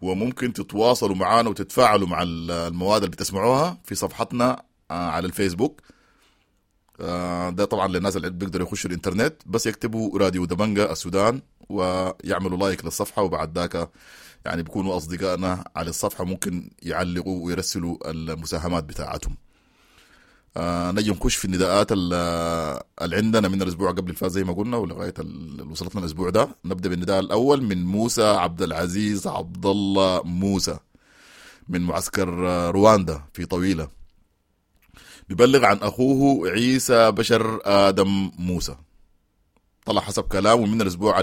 وممكن تتواصلوا معنا وتتفاعلوا مع المواد اللي بتسمعوها في صفحتنا على الفيسبوك. ده طبعا للناس اللي بيقدروا يخشوا الانترنت، بس يكتبوا راديو دبنجة السودان ويعملوا like للصفحة، وبعد ذاك يعني بيكونوا أصدقائنا على الصفحة، ممكن يعلقوا ويرسلوا المساهمات بتاعتهم. آه نجي نخش في النداءات اللي عندنا من الأسبوع قبل الفات زي ما قلنا ولغاية اللي وصلتنا الأسبوع ده. نبدأ بالنداء الأول من موسى عبد العزيز عبد الله موسى من معسكر رواندا في طويلة، بيبلغ عن أخوه عيسى بشر آدم موسى، طلع حسب كلامه من الأسبوع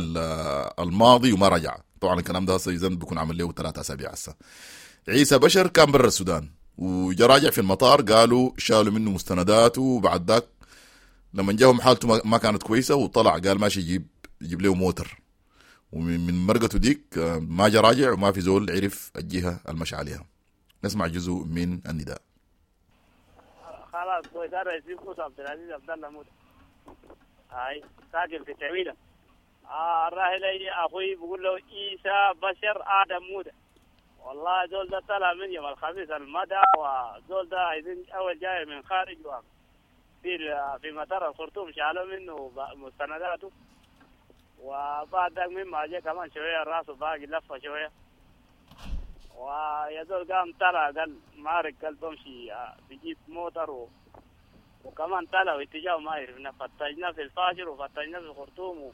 الماضي وما رجع. طبعا الكلام ده هسه بيكون عمل له ثلاثة أسابيع هسه. عيسى بشر كان برا السودان وجا راجع في المطار، قالوا شالوا منه مستنداته، وبعد ذاك لما جاهم حالته ما كانت كويسة وطلع قال ماشي يجيب يجيب له موتر، ومن مرقته ديك ما جا راجع وما في زول عرف الجهة المشى عليها. نسمع جزء من النداء. خلاص كويس، انا اسمي موسى عبد العزيز عبد الله موسى، هاي ساكن في تعويله. آه الراحل اخوي بقول له عيسى بشر ادم موسى، والله زول ده طلع من يوم الخميس المدى، وزول ده عايزين اول جاي من خارج في في مطار الخرطوم شالوا منه مستنداته، وبعد ذاك مما جاء كمان شوية راسه باقي لفه شوية، ويا زول قام طلع قال مارك قال بمشي بجيب موتر و... وكمان طلع واتجاهه ما عرفنا، فتشنا في الفاشر وفتشنا في الخرطوم و...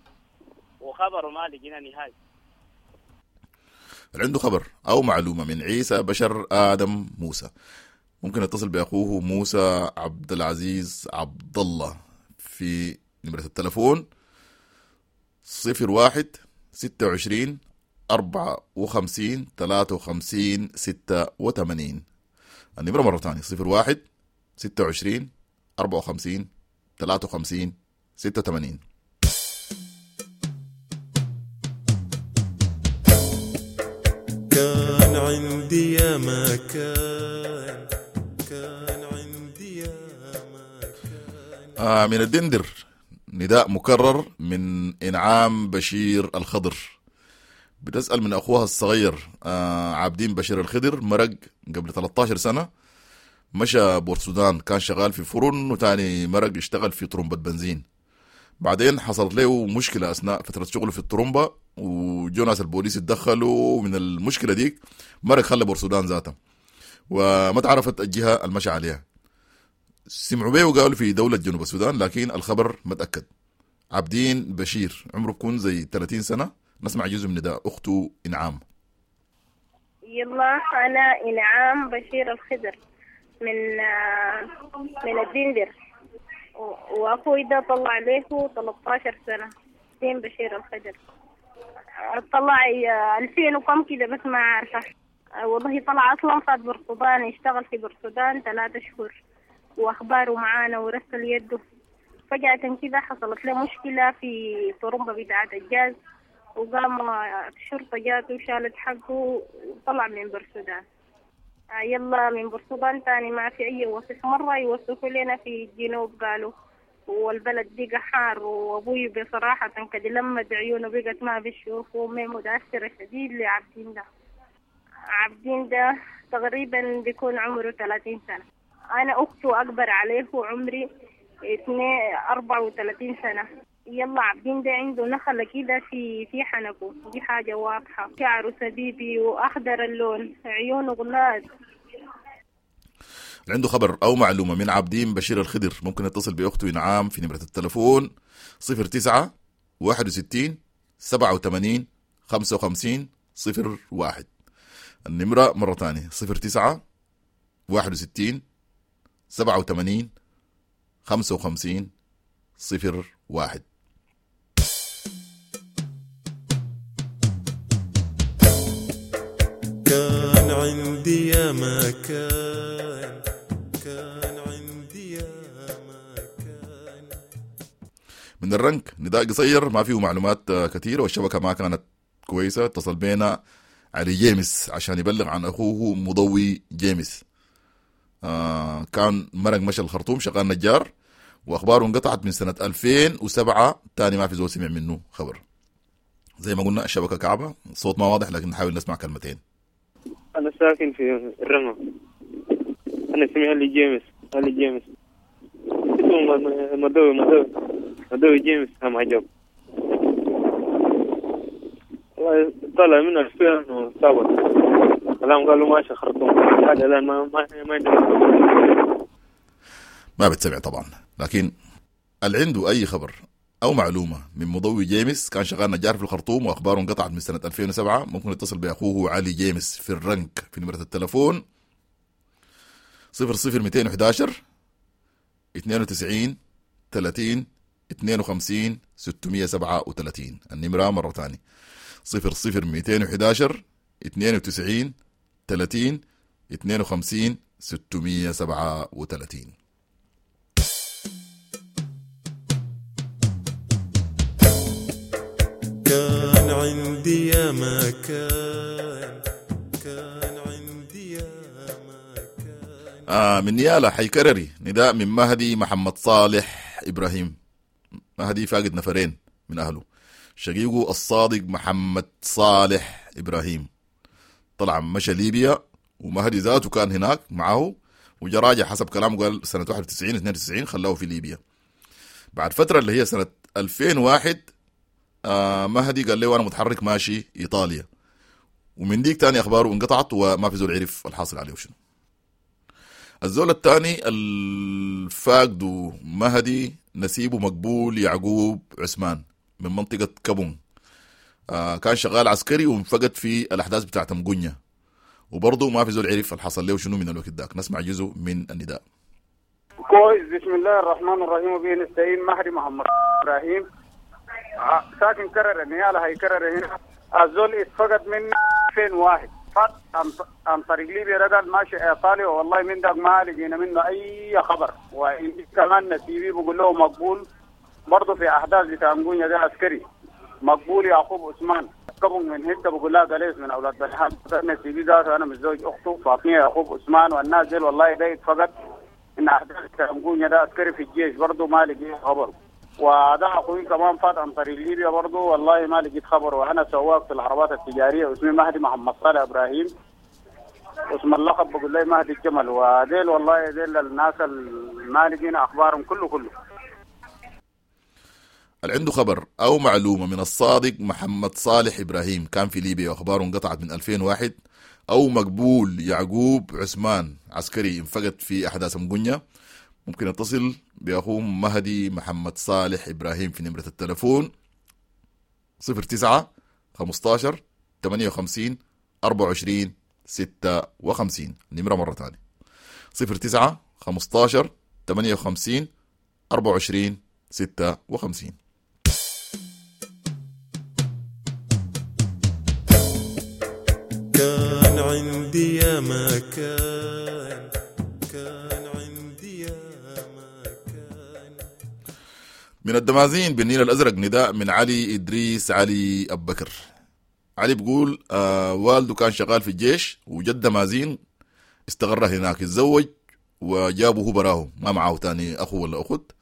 وخبره ما لقينا نهائي. عنده خبر أو معلومة من عيسى بشر آدم موسى ممكن يتصل بأخوه موسى عبد العزيز عبد الله في نمرة التلفون صفر واحد ستة وعشرين أربعة وخمسين ثلاثة وخمسين ستة وثمانين. النمرة مرة ثانية صفر واحد ستة وعشرين أربعة وخمسين ثلاثة وخمسين ستة وثمانين. كان عندي يا ما كان، كان عندي يا ما كان. آه من الدندر نداء مكرر من إنعام بشير الخضر، بتسأل من أخوها الصغير آه عابدين بشير الخضر، مرق قبل ثلاثة عشر سنة، مشى بورسودان، كان شغال في فرن وتاني مرق اشتغل في طرمبة بنزين. بعدين حصلت له مشكلة أثناء فترة شغله في الطرمبة، وجو ناس البوليس اتدخلوا من المشكلة ديك، مرق خلى بورسودان ذاته وما تعرفت الجهة المشى عليها. سمعوا به وقالوا في دولة جنوب السودان، لكن الخبر ما تأكد. عابدين بشير عمره بكون زي ثلاثين سنة. نسمع جزء من نداء أخته إنعام. يلا أنا إنعام بشير الخضر من من الدندر، وأخوي ده طلع له ثلاثة عشر سنة، دين بشير الخضر، طلع ألفين وكم كده بس ما عارفة والله. طلع أصلا فات برسودان، يشتغل في برسودان ثلاثة شهور، وأخباره معانا ورسل يده. فجأة كده حصلت له مشكلة في طرمبة بتاعة الجاز، وقام الشرطة جاته وشالت حقه وطلع من برسودان. يلا من برسودان تاني ما في أي وصف، مرة يوصفوا لنا في الجنوب قالوا، والبلد بقى حار، وأبوي بصراحة كده لما عيونه بقت ما بيشوف، وأمي متأثرة شديد لعبدين ده. عبدين ده تقريبا بيكون عمره ثلاثين سنة، أنا أخته أكبر عليه وعمري اثنين أربعة وثلاثين سنة. يلا عبدين ده عنده نخلة كده في في حنكه، دي حاجة واضحة، شعره سبيبي وأخضر اللون، عيونه غلاد. عنده خبر أو معلومة من عابدين بشير الخضر ممكن يتصل بأخته إنعام في نمرة التلفون صفر تسعة واحد وستين سبعة وثمانين خمسة وخمسين صفر واحد. النمرة مرة تانية صفر تسعة واحد وستين سبعة وثمانين خمسة وخمسين صفر واحد. كان عندي يا ما كان، كان عندي يا ما كان. من الرنك نداء قصير ما فيه معلومات كثيرة والشبكة ما كانت كويسة. اتصل بينا علي جيمس عشان يبلغ عن أخوه مضوي جيمس. آه كان مرق مشى الخرطوم شغال نجار، وأخباره انقطعت من سنة ألفين وسبعة، تاني ما في زول سمع منه خبر. زي ما قلنا الشبكة كعبة، الصوت ما واضح لكن نحاول نسمع كلمتين. أنا ساكن في الرمى، أنا اسمي علي جيمس، علي جيمس اسمه مضوي، مضوي مضوي جيمس. هم عجب والله، طلع منه ألفين وسبعة كلام قالوا ماشي خرطوم، هذا الآن ما ما ما ما بتسمع طبعا. لكن اللي عنده أي خبر أو معلومة من مضوي جيمس، كان شغال نجار في الخرطوم وأخباره انقطعت من سنة ألفين وسبعة، ممكن يتصل بأخوه علي جيمس في الرنك في نمرة التلفون صفر صفر مئتين وأحد عشر اثنين وتسعين ثلاثين اثنين وخمسين ستمية سبعة وثلاثين. النمرة مرة تانية صفر صفر مئتين وأحد عشر اثنين وتسعين ثلاثين اثنين وخمسين ستمية سبعة وثلاثين. كان عندي يا ما كان، كان عندي يا ما كان. آه من نيالا حيكرري نداء من مهدي محمد صالح إبراهيم. مهدي فاقد نفرين من أهله، شقيقه الصادق محمد صالح إبراهيم طلع مشى ليبيا، ومهدي ذاته كان هناك معه وجراجع حسب كلامه، قال سنة واحد وتسعين اثنين وتسعين خلاه في ليبيا. بعد فترة اللي هي سنة ألفين وواحد آه مهدي قال له أنا متحرك ماشي إيطاليا، ومن ديك تاني أخباره انقطعت وما في زول عرف الحاصل عليه وشنو. الزول الثاني الفاقد مهدي نسيبه مقبول يعقوب عثمان من منطقة كابون، آه كان شغال عسكري وانفقد في الأحداث بتاعت مقنية، وبرضه ما في زول عرف الحصل له شنو من الوقت داك. نسمع جزء من النداء. كويس. بسم الله الرحمن الرحيم وبه نستعين. مهدي محمد إبراهيم ساكن كرر نيالا هيكرر هنا. الزول اتفقد من ألفين وواحد فات عن طريق ليبيا، رجل ماشي ايطاليا، والله من داك ما لقينا منه اي خبر. وإن كمان نسيبي بقول له مقبول برضه في احداث بتاع مقونيا ده عسكري مقبول يعقوب عثمان كبن من هته بقول لها قليس من اولاد بلحان نسيبي ذاته انا متزوج اخته فاطمه يعقوب عثمان والناس ديل والله ده اتفقد ان احداث بتاع مقونيا ده عسكري في الجيش برضه ما لقينا خبر. وده اخوي كمان فات عن طريق ليبيا برضه والله ما لقيت خبر. وانا سواق في العربات التجاريه اسمي مهدي محمد صالح ابراهيم، اسم اللقب بقول لي مهدي الجمل. وديل والله ديل الناس ما لقينا اخبارهم كله كله. اللي عنده خبر او معلومه من الصادق محمد صالح ابراهيم كان في ليبيا واخباره انقطعت من ألفين وواحد، او مقبول يعقوب عثمان عسكري انفقد في احداث مقنية، ممكن يتصل بأخوه مهدي محمد صالح إبراهيم في نمرة التلفون صفر تسعة خمستاشر ثمانية وخمسين أربعة وعشرين ستة وخمسين. النمرة مرة تانية صفر تسعة خمستاشر ثمانية وخمسين أربعة وعشرين ستة وخمسين. كان عندي يا ما كان، كان عندي يا ما كان. من الدمازين بالنيل الأزرق نداء من علي إدريس علي أبو بكر. علي بيقول آه والده كان شغال في الجيش وجد دمازين استقر هناك، اتزوج وجابه هو براه ما معه تاني أخو ولا أخت.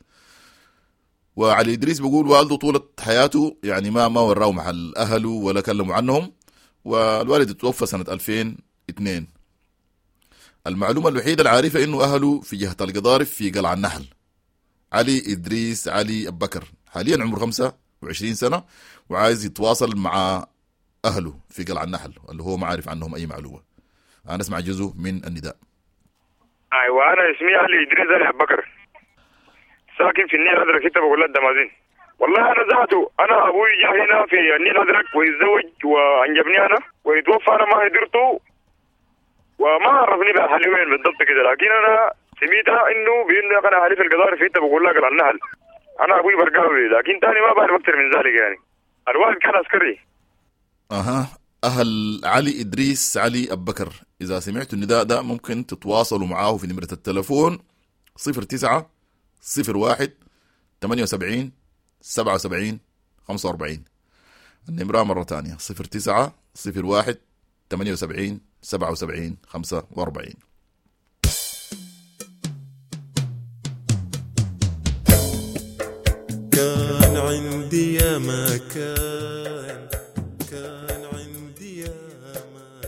وعلي إدريس بيقول والده طولة حياته يعني ما ما وراه محل أهله ولا كلموا عنهم، والوالد توفى سنة ألفين واثنين. المعلومة الوحيدة العارفة إنه أهله في جهة القضارف في قلعة النحل. علي إدريس علي أبو بكر حاليا عمره خمسة وعشرين سنة وعايز يتواصل مع أهله في قلعة النحل اللي هو ما عارف عنهم أي معلومة. أنا أسمع جزء من النداء. أيوة أنا اسمي علي إدريس علي أبو بكر، ساكن في النيل الأزرق ستة بقول الدمازين. والله أنا ذاته أنا أبوي جاء هنا في النيل الأزرق ويتزوج وأنجبني أنا ويتوفى، أنا ما قدرته وما عرفني بأهلي وين بالضبط كده، لكن أنا سميتها إنه بإنه أنا أهلي في القضارف في بقول لك قلعة النحل. انا ابوي برقاوي، لكن تاني ما بعرف اكثر من ذلك يعني. الوالد كان عسكري. اها، اهل علي ادريس علي ابو بكر، اذا سمعتوا النداء ده ممكن تتواصلوا معاه في نمره التلفون صفر تسعة صفر واحد ثمانية وسبعين سبعة وسبعين خمسة وأربعين. النمرة مرة تانية صفر تسعة صفر واحد ثمانية وسبعين سبعة وسبعين خمسة وأربعين. كان عندي يا ما كان، كان عندي يا ما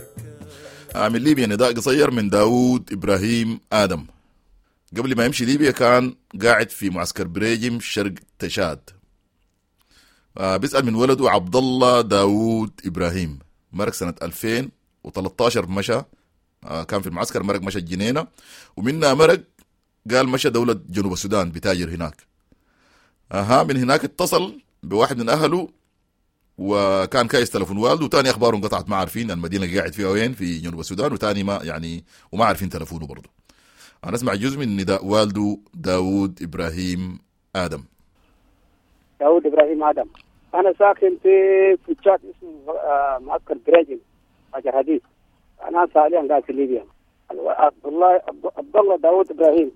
كان. من ليبيا نداء قصير من داود إبراهيم آدم. قبل ما يمشي ليبيا كان قاعد في معسكر بريجم شرق تشاد. آه بيسأل من ولده عبد الله داود إبراهيم، مرق سنة ألفين وثلاثة عشر مشى، آه كان في المعسكر، مرق مشى الجنينة، ومنها مرق قال مشى دولة جنوب السودان بتاجر هناك. اها، من هناك اتصل بواحد من اهله وكان كايس تلفون والده، وتاني اخباره انقطعت، ما عارفين المدينة اللي قاعد فيها وين في جنوب السودان، وتاني ما يعني وما عارفين تلفونه برضه. انا اسمع جزء من نداء والده داود ابراهيم ادم. داود ابراهيم ادم، انا ساكن في في تشاد اسمه معسكر بريجن حجر حديد. انا حاليا قاعد في ليبيا. عبد الله عبد الله داود ابراهيم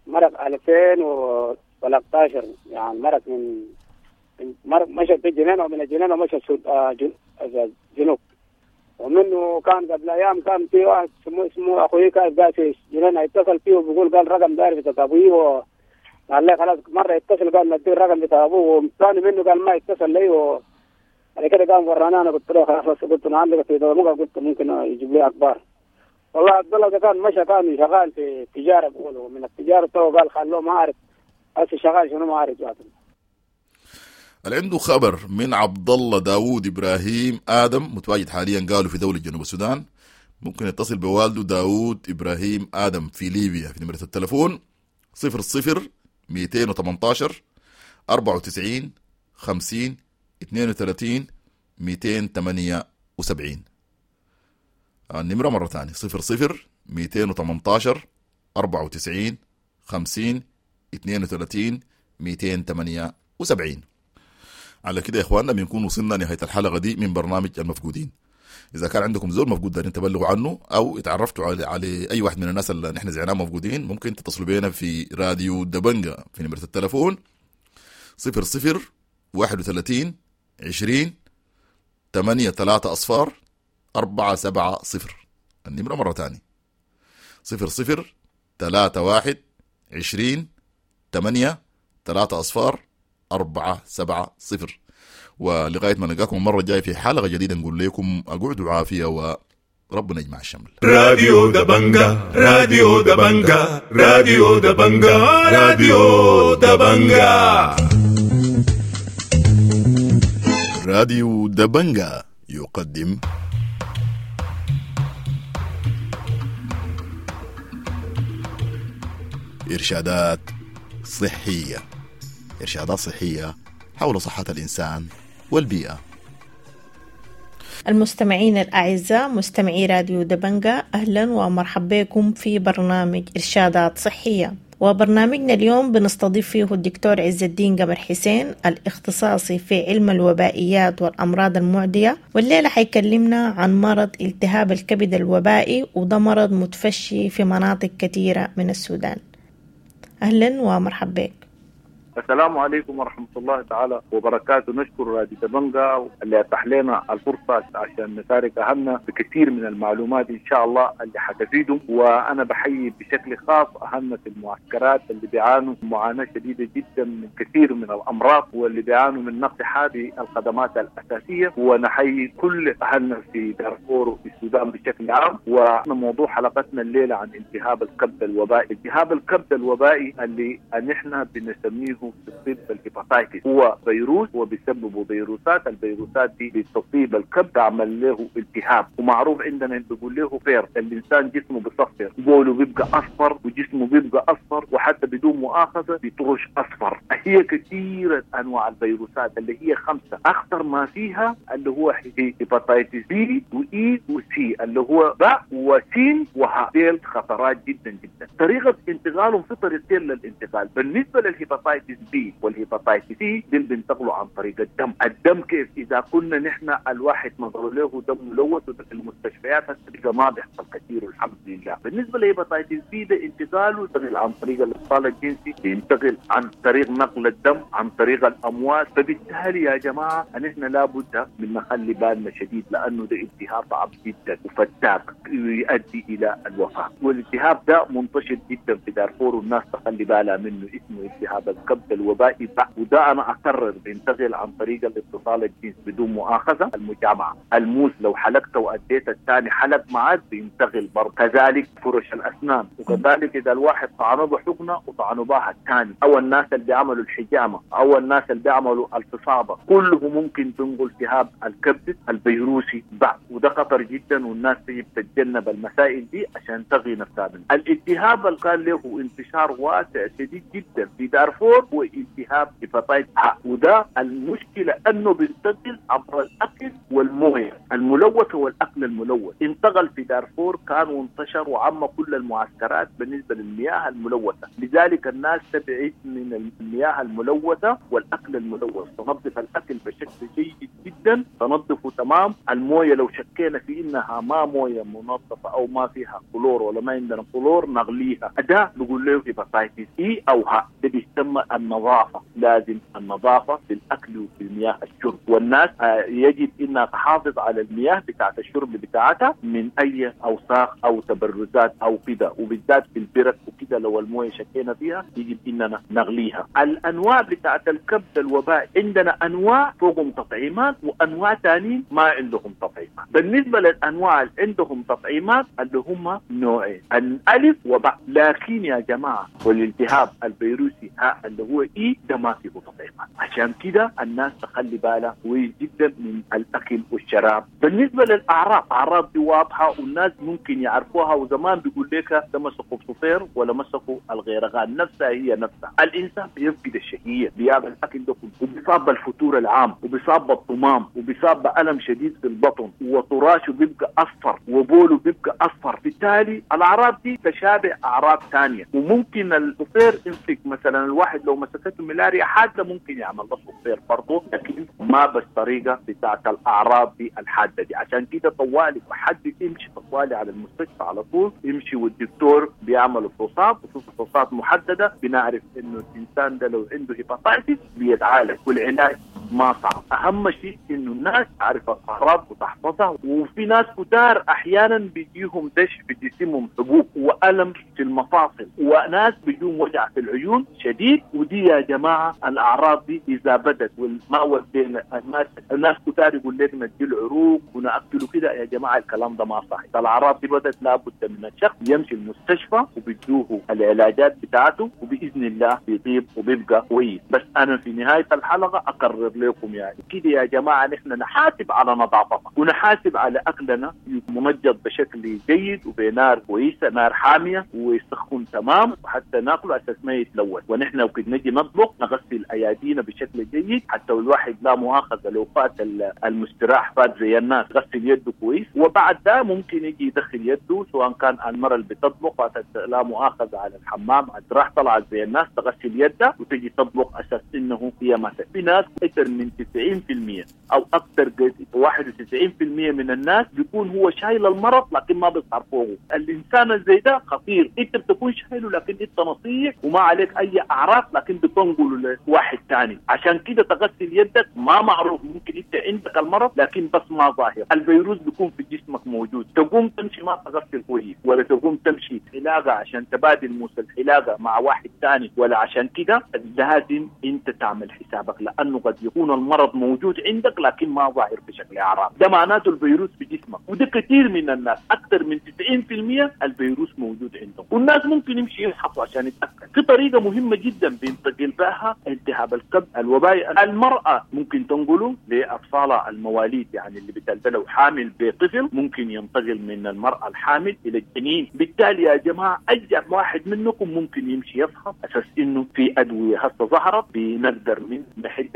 مرق ألفين وثلاثة عشر، يعني مرق من مرق مشى في الجنينة، ومن الجنينة مشى الجنوب. ومنه كان قبل ايام كان في واحد اسمه اسمه اخوي كان قاعد في الجنينة، يتصل فيه وبيقول قال رقم داير بتاع ابوي، قال لي خلاص مرة يتصل قال ندي الرقم بتاع ابوه، وثاني منه قال ما يتصل لي، و بعد كده قام ورانا. انا قلت له خلاص، قلت انا عندك في دموع، قلت ممكن يجيب لي اخبار. والله عبد الله ده كان مشى كان شغال في التجارة، بيقولوا من التجارة تو قال خلوه ما اعرف هسه شغال شنو ما اعرف ذاته. اللي عنده خبر من عبد الله داوود ابراهيم ادم متواجد حاليا قالوا في دولة جنوب السودان، ممكن يتصل بوالده داوود ابراهيم ادم في ليبيا في نمره التلفون صفر صفر مئتين وثمانية عشر أربعة وتسعين خمسين اثنين وثلاثين مئتين وثمانية وسبعين. النمرة مرة ثانية صفر صفر مئتين وثمانية عشر أربعة وتسعين خمسين اثنين وثلاثين مئتين وثمانية وسبعين. على كده يا إخواننا بنكون وصلنا نهاية الحلقة دي من برنامج المفقودين. إذا كان عندكم زول مفقود دارين تبلغوا عنه أو اتعرفتوا على, على أي واحد من الناس اللي نحن زعناه مفقودين، ممكن تتصلوا بينا في راديو دبنجة في نمرة التلفون صفر صفر واحد وثلاثين عشرين ثمانية ثلاثة أصفار أربعة سبعة صفر. النمرة مرة تانية صفر صفر ثلاثة واحد عشرين ثمانية ثلاثة أصفار أربعة سبعة صفر. ولغاية ما نلقاكم المرة الجاية في حلقة جديدة نقول لكم أقعدوا عافية وربنا يجمع الشمل. راديو دبنجة، راديو دبنجة، راديو دبنجة، راديو دبنجة. راديو دبنجة يقدم إرشادات صحية، إرشادات صحية حول صحة الإنسان والبيئة. المستمعين الأعزاء مستمعي راديو دبنجة، أهلا ومرحبا بكم في برنامج إرشادات صحية. وبرنامجنا اليوم بنستضيف فيه الدكتور عز الدين قمر حسين الاختصاصي في علم الوبائيات والأمراض المعدية، والليلة حيكلمنا عن مرض التهاب الكبد الوبائي، وده مرض متفشي في مناطق كثيرة من السودان. أهلا ومرحبا بك. السلام عليكم ورحمة الله تعالى وبركاته. نشكر راديو دبنجة اللي أتاح لنا الفرصة عشان نشارك أهلنا بكثير من المعلومات إن شاء الله اللي حتفيدهم. وأنا بحيي بشكل خاص أهلنا في المعسكرات اللي بيعانوا معاناة شديدة جدا من كثير من الأمراض واللي بيعانوا من نقص هذه الخدمات الأساسية، ونحيي كل أهلنا في دارفور وفي السودان بشكل عام. وموضوع حلقتنا الليلة عن التهاب الكبد الوبائي. التهاب الكبد الوبائي اللي نحن بنسميه في الطب ال hepatitis، هو فيروس وبيسببه فيروسات. الفيروسات دي بتصيب الكبد تعمل له التهاب، ومعروف عندنا بيقول له فير، الانسان جسمه بيصفر، بوله بيبقى اصفر وجسمه بيبقى اصفر، وحتى بدون مؤاخذة بيطرش اصفر. هي كثيرة انواع الفيروسات اللي هي خمسة، اخطر ما فيها اللي هو hepatitis B و E و C اللي هو باء وسين وهاء، ديل خطرات جدا جدا. طريقه انتقالهم في طريقتين للانتقال. بالنسبة لل hepatitis hepatitis B وال hepatitis C دي بينتقلوا عن طريق الدم. الدم كيف؟ اذا كنا نحن الواحد نظروا له دم ملوث، وده في المستشفيات هسه ما بيحصل كثير والحمد لله. بالنسبة ل hepatitis B ده انتقاله ينتقل عن طريق الاتصال الجنسي، ينتقل عن طريق نقل الدم، عن طريق الامواس. فبالتالي يا جماعة نحن لابد من نخلي بالنا شديد، لانه ده التهاب صعب جدا وفتاك يؤدي الى الوفاة. والالتهاب ده منتشر جدا في دارفور والناس تخلي بالها منه، اسمه التهاب الكبد الوبائي. وده انا اكرر بينتقل عن طريق الاتصال الجنسي بدون مؤاخذة، المجامعه، الموس لو حلقت واديت الثاني حلق معك بينتقل برضه، كذلك فرش الاسنان، وكذلك اذا الواحد طعنه بحقنه وطعنه بها الثاني، او الناس اللي بيعملوا الحجامة او الناس اللي بيعملوا الفصابه، كله ممكن تنقل التهاب الكبد الفيروسي بعد، وده خطر جدا والناس تجب تتجنب المسائل دي عشان تغي نفسها منه. الالتهاب اللي كان له انتشار واسع شديد جدا في دارفور هو التهاب hepatitis ه، وده المشكلة انه بينتقل عبر الاكل والمويه الملوثة والاكل الملوث. انتقل في دارفور كان وانتشر وعم كل المعسكرات بالنسبة للمياه الملوثة، لذلك الناس تبعد من المياه الملوثة والاكل الملوث. تنظف الاكل بشكل جيد جدا، تنظفه تمام. المويه لو شكينا في انها ما مويه منظفه او ما فيها كلور ولا ما عندنا كلور نغليها. ده بيقول له hepatitis E او ه، ده بيسمى النظافة. لازم النظافة في الاكل وفي المياه الشرب، والناس يجب انها تحافظ على المياه بتاعت الشرب بتاعتها من اي اوساخ او تبرزات او كده، وبالذات في البرك وكده لو المويه شكينا فيها يجب اننا نغليها. الانواع بتاعت الكبد الوبائي عندنا انواع فوقهم تطعيمات وانواع ثانيين ما عندهم تطعيمات. بالنسبة للانواع اللي عندهم تطعيمات اللي هم نوعين، الالف وباء. لكن يا جماعة والالتهاب الفيروسي ها اللي هو E ده ما فيه تطعيمات، عشان كده الناس تخلي بالها كويس جدا من الاكل والشراب. بالنسبة للاعراض، اعراض دي واضحة والناس ممكن يعرفوها، وزمان بيقول لك ده مسكوا بصفير ولا مسكوا الغيرغان، نفسها هي نفسها. الانسان بيفقد الشهية، بيعمل الاكل ده كله، وبيصاب بالفتور العام، وبيصاب بالطمام، وبيصاب بألم شديد في البطن، وطراشه بيبقى اصفر، وبوله بيبقى اصفر. بالتالي الاعراض دي تشابه اعراض ثانية، وممكن الصفير يمسك مثلا الواحد لو مسكته ملاريا حادة ممكن يعمل له صفير برضه، لكن ما بالطريقة بتاعت الاعراض دي الحادة دي. عشان كده طوالي حد يمشي طوالي على المستشفى على طول يمشي، والدكتور بيعمل فحوصات، وفي فحوصات محددة بنعرف انه الانسان ده لو عنده hepatitis بيتعالج، والعلاج ما صعب. اهم شيء انه الناس تعرف الاعراض وتحفظها. وفي ناس كتار احيانا بيجيهم دش في جسمهم، حبوب والم في المفاصل، وناس بيجيهم وجع في العيون شديد. ودي يا جماعة الاعراض دي اذا بدت والما ودينا الناس، الناس كتار يقول لك ندي العروق وناكله كده، يا جماعة الكلام ده ما صح. الاعراض دي بدت لابد من الشخص يمشي المستشفى وبيدوه العلاجات بتاعته، وباذن الله بيطيب وبيبقى كويس. بس انا في نهاية الحلقة اقرر لكم يعني كده يا جماعة نحن نحاسب على نظافتنا ونحاسب على اكلنا منجد بشكل جيد وبنار كويسة، نار حامية ويسخن تمام، وحتى ناكله اساس ما يتلوث. ونحن وقت نجي نطبخ نغسل ايادينا بشكل جيد، حتى الواحد لا مؤاخذة لو فات المستراح فات زي الناس غسل يده كويس، وبعد ده ممكن يجي يدخل يده سواء كان المرة اللي بتطبخ فاتت لا مؤاخذة على الحمام راح طلعت زي الناس تغسل يدها وتجي تطبخ اساس انه هي ما. في ناس اكثر من تسعين بالمئة او اكثر واحد وتسعين بالمئة من الناس بيكون هو شايل المرض لكن ما بيظهر فوقه. الانسان زي ده خطير، انت بتكون شايله لكن انت نصيح وما عليك اي اعراض، لكن بتنقله لواحد ثاني. عشان كده تغسل يدك، ما معروف ممكن انت عندك المرض لكن بس ما ظاهر، الفيروس بيكون في جسمك موجود. تقوم تمشي ما تغسل كويس، ولا تقوم تمشي حلاقه عشان تبادل موس الحلاقة مع واحد ثاني، ولا عشان كده لازم انت تعمل حسابك، لانه قد يكون المرض موجود عندك لكن ما ظاهر بشكل اعراض. ده معناته الفيروس في جسمك، وده كثير من الناس اكثر من تسعين بالمئة الفيروس موجود عندهم، والناس ممكن يمشي يفحصوا عشان يتاكد. في طريقه مهمة جدا بينتقل بها التهاب الكبد الوبائي، المراة ممكن تنقله لاطفالها المواليد، يعني اللي بتلد لو حامل بطفل ممكن ينتقل من المراة الحامل الى الجنين. بالتالي يا جماعة اي واحد منكم ممكن يمشي يفحص اساس انه في ادوية هسه ظهرت بنقدر من نحد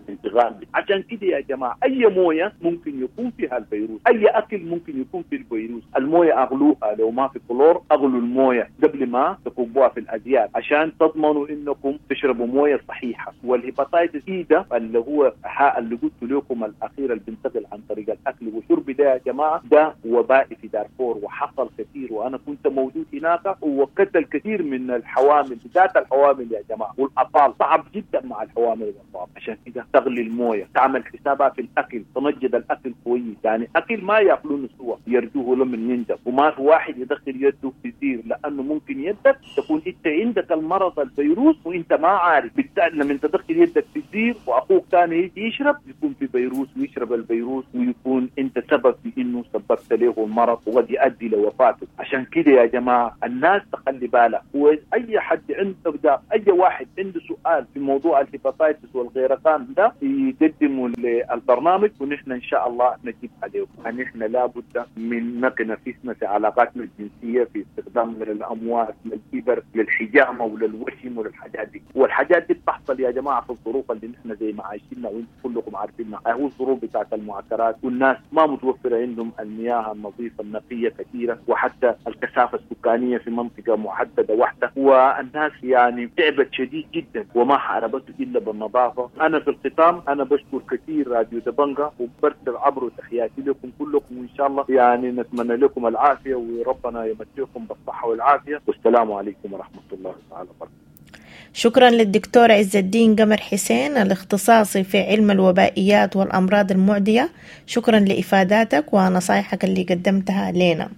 الانتقال. عشان كده يا جماعة اي مويه ممكن يكون فيها الفيروس، اي اكل ممكن يكون فيه الفيروس. المويه اغلوها، لو ما في كلور اغلوا المويه قبل ما تكبوها في الازيال عشان تضمنوا انكم تشربوا مويه صحيحه. وال hepatitis E ده اللي هو اللي قلت لكم الاخير اللي بينتقل عن طريق الاكل والشرب ده يا جماعة، ده وبائي في دارفور وحصل كثير، وانا كنت موجود هناك وقتل كثير من الحوامل، بالذات الحوامل يا جماعة والاطفال، صعب جدا مع الحوامل والاطفال. عشان كده تغلي المويه، تعمل حسابها في الاكل، تنجد الاكل كويس، يعني اكل ما ياكلونه سوا يرجوه لمن ينجب، وما في واحد يدخل يده في زير، لانه ممكن يدك تكون انت عندك المرض الفيروس وانت ما عارف. بالتالي لما تدخل يدك في الزير واخوك ثاني يجي يشرب يكون في فيروس ويشرب الفيروس، ويكون انت سبب في انه سببت له المرض وقد يؤدي لوفاته. عشان كده يا جماعة الناس تخلي بالها، واي حد عنده اي واحد عنده سؤال في موضوع ال hepatitis والغيرقان ده يقدمه للبرنامج ونحن ان شاء الله نجيب عليه. نحن لابد من نقي نفسنا في علاقاتنا الجنسية، في استخدامنا للاموات، للإبر، للحجامه وللوشم وللحاجات دي، والحاجات دي بتحصل يا جماعة في الظروف اللي نحن زي ما عايشينها وانتم كلكم عارفينها، هو الظروف بتاعت المعسكرات والناس ما متوفرة عندهم المياه النظيفة النقية كثيرة، وحتى الكثافة السكانية في منطقة محددة واحدة، والناس يعني تعبت شديد جدا وما حاربته الا بالنظافة. انا في الختام انا بشكر كثير راديو دبنجا وبرسل عبره تحياتي لكم كلكم، وان شاء الله يعني نتمنى لكم العافية وربنا يمتعكم بالصحة والعافية، والسلام عليكم ورحمة الله تعالى وبركاته. شكرا للدكتور عز الدين قمر حسين الاختصاصي في علم الوبائيات والأمراض المعدية، شكرا لإفاداتك ونصايحك اللي قدمتها لنا.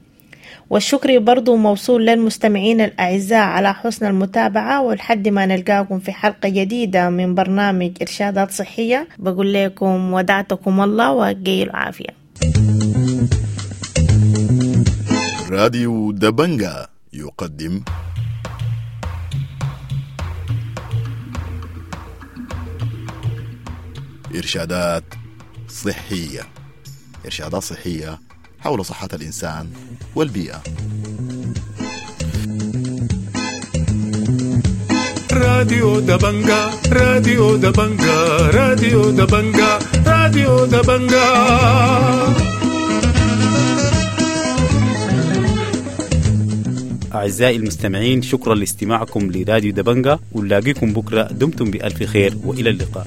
والشكر برضو موصول للمستمعين الأعزاء على حسن المتابعة، ولحد ما نلقاكم في حلقة جديدة من برنامج إرشادات صحية بقول لكم ودعتكم الله وقيل العافية. راديو دبنجا يقدم إرشادات صحية، إرشادات صحية حول صحة الإنسان والبيئة. راديو دبنجا، راديو دبنجا، راديو دبنجا، راديو دبنجا. أعزائي المستمعين، شكرا لاستماعكم لراديو دبنجا، ونلاقيكم بكرة. دمتم بألف خير وإلى اللقاء.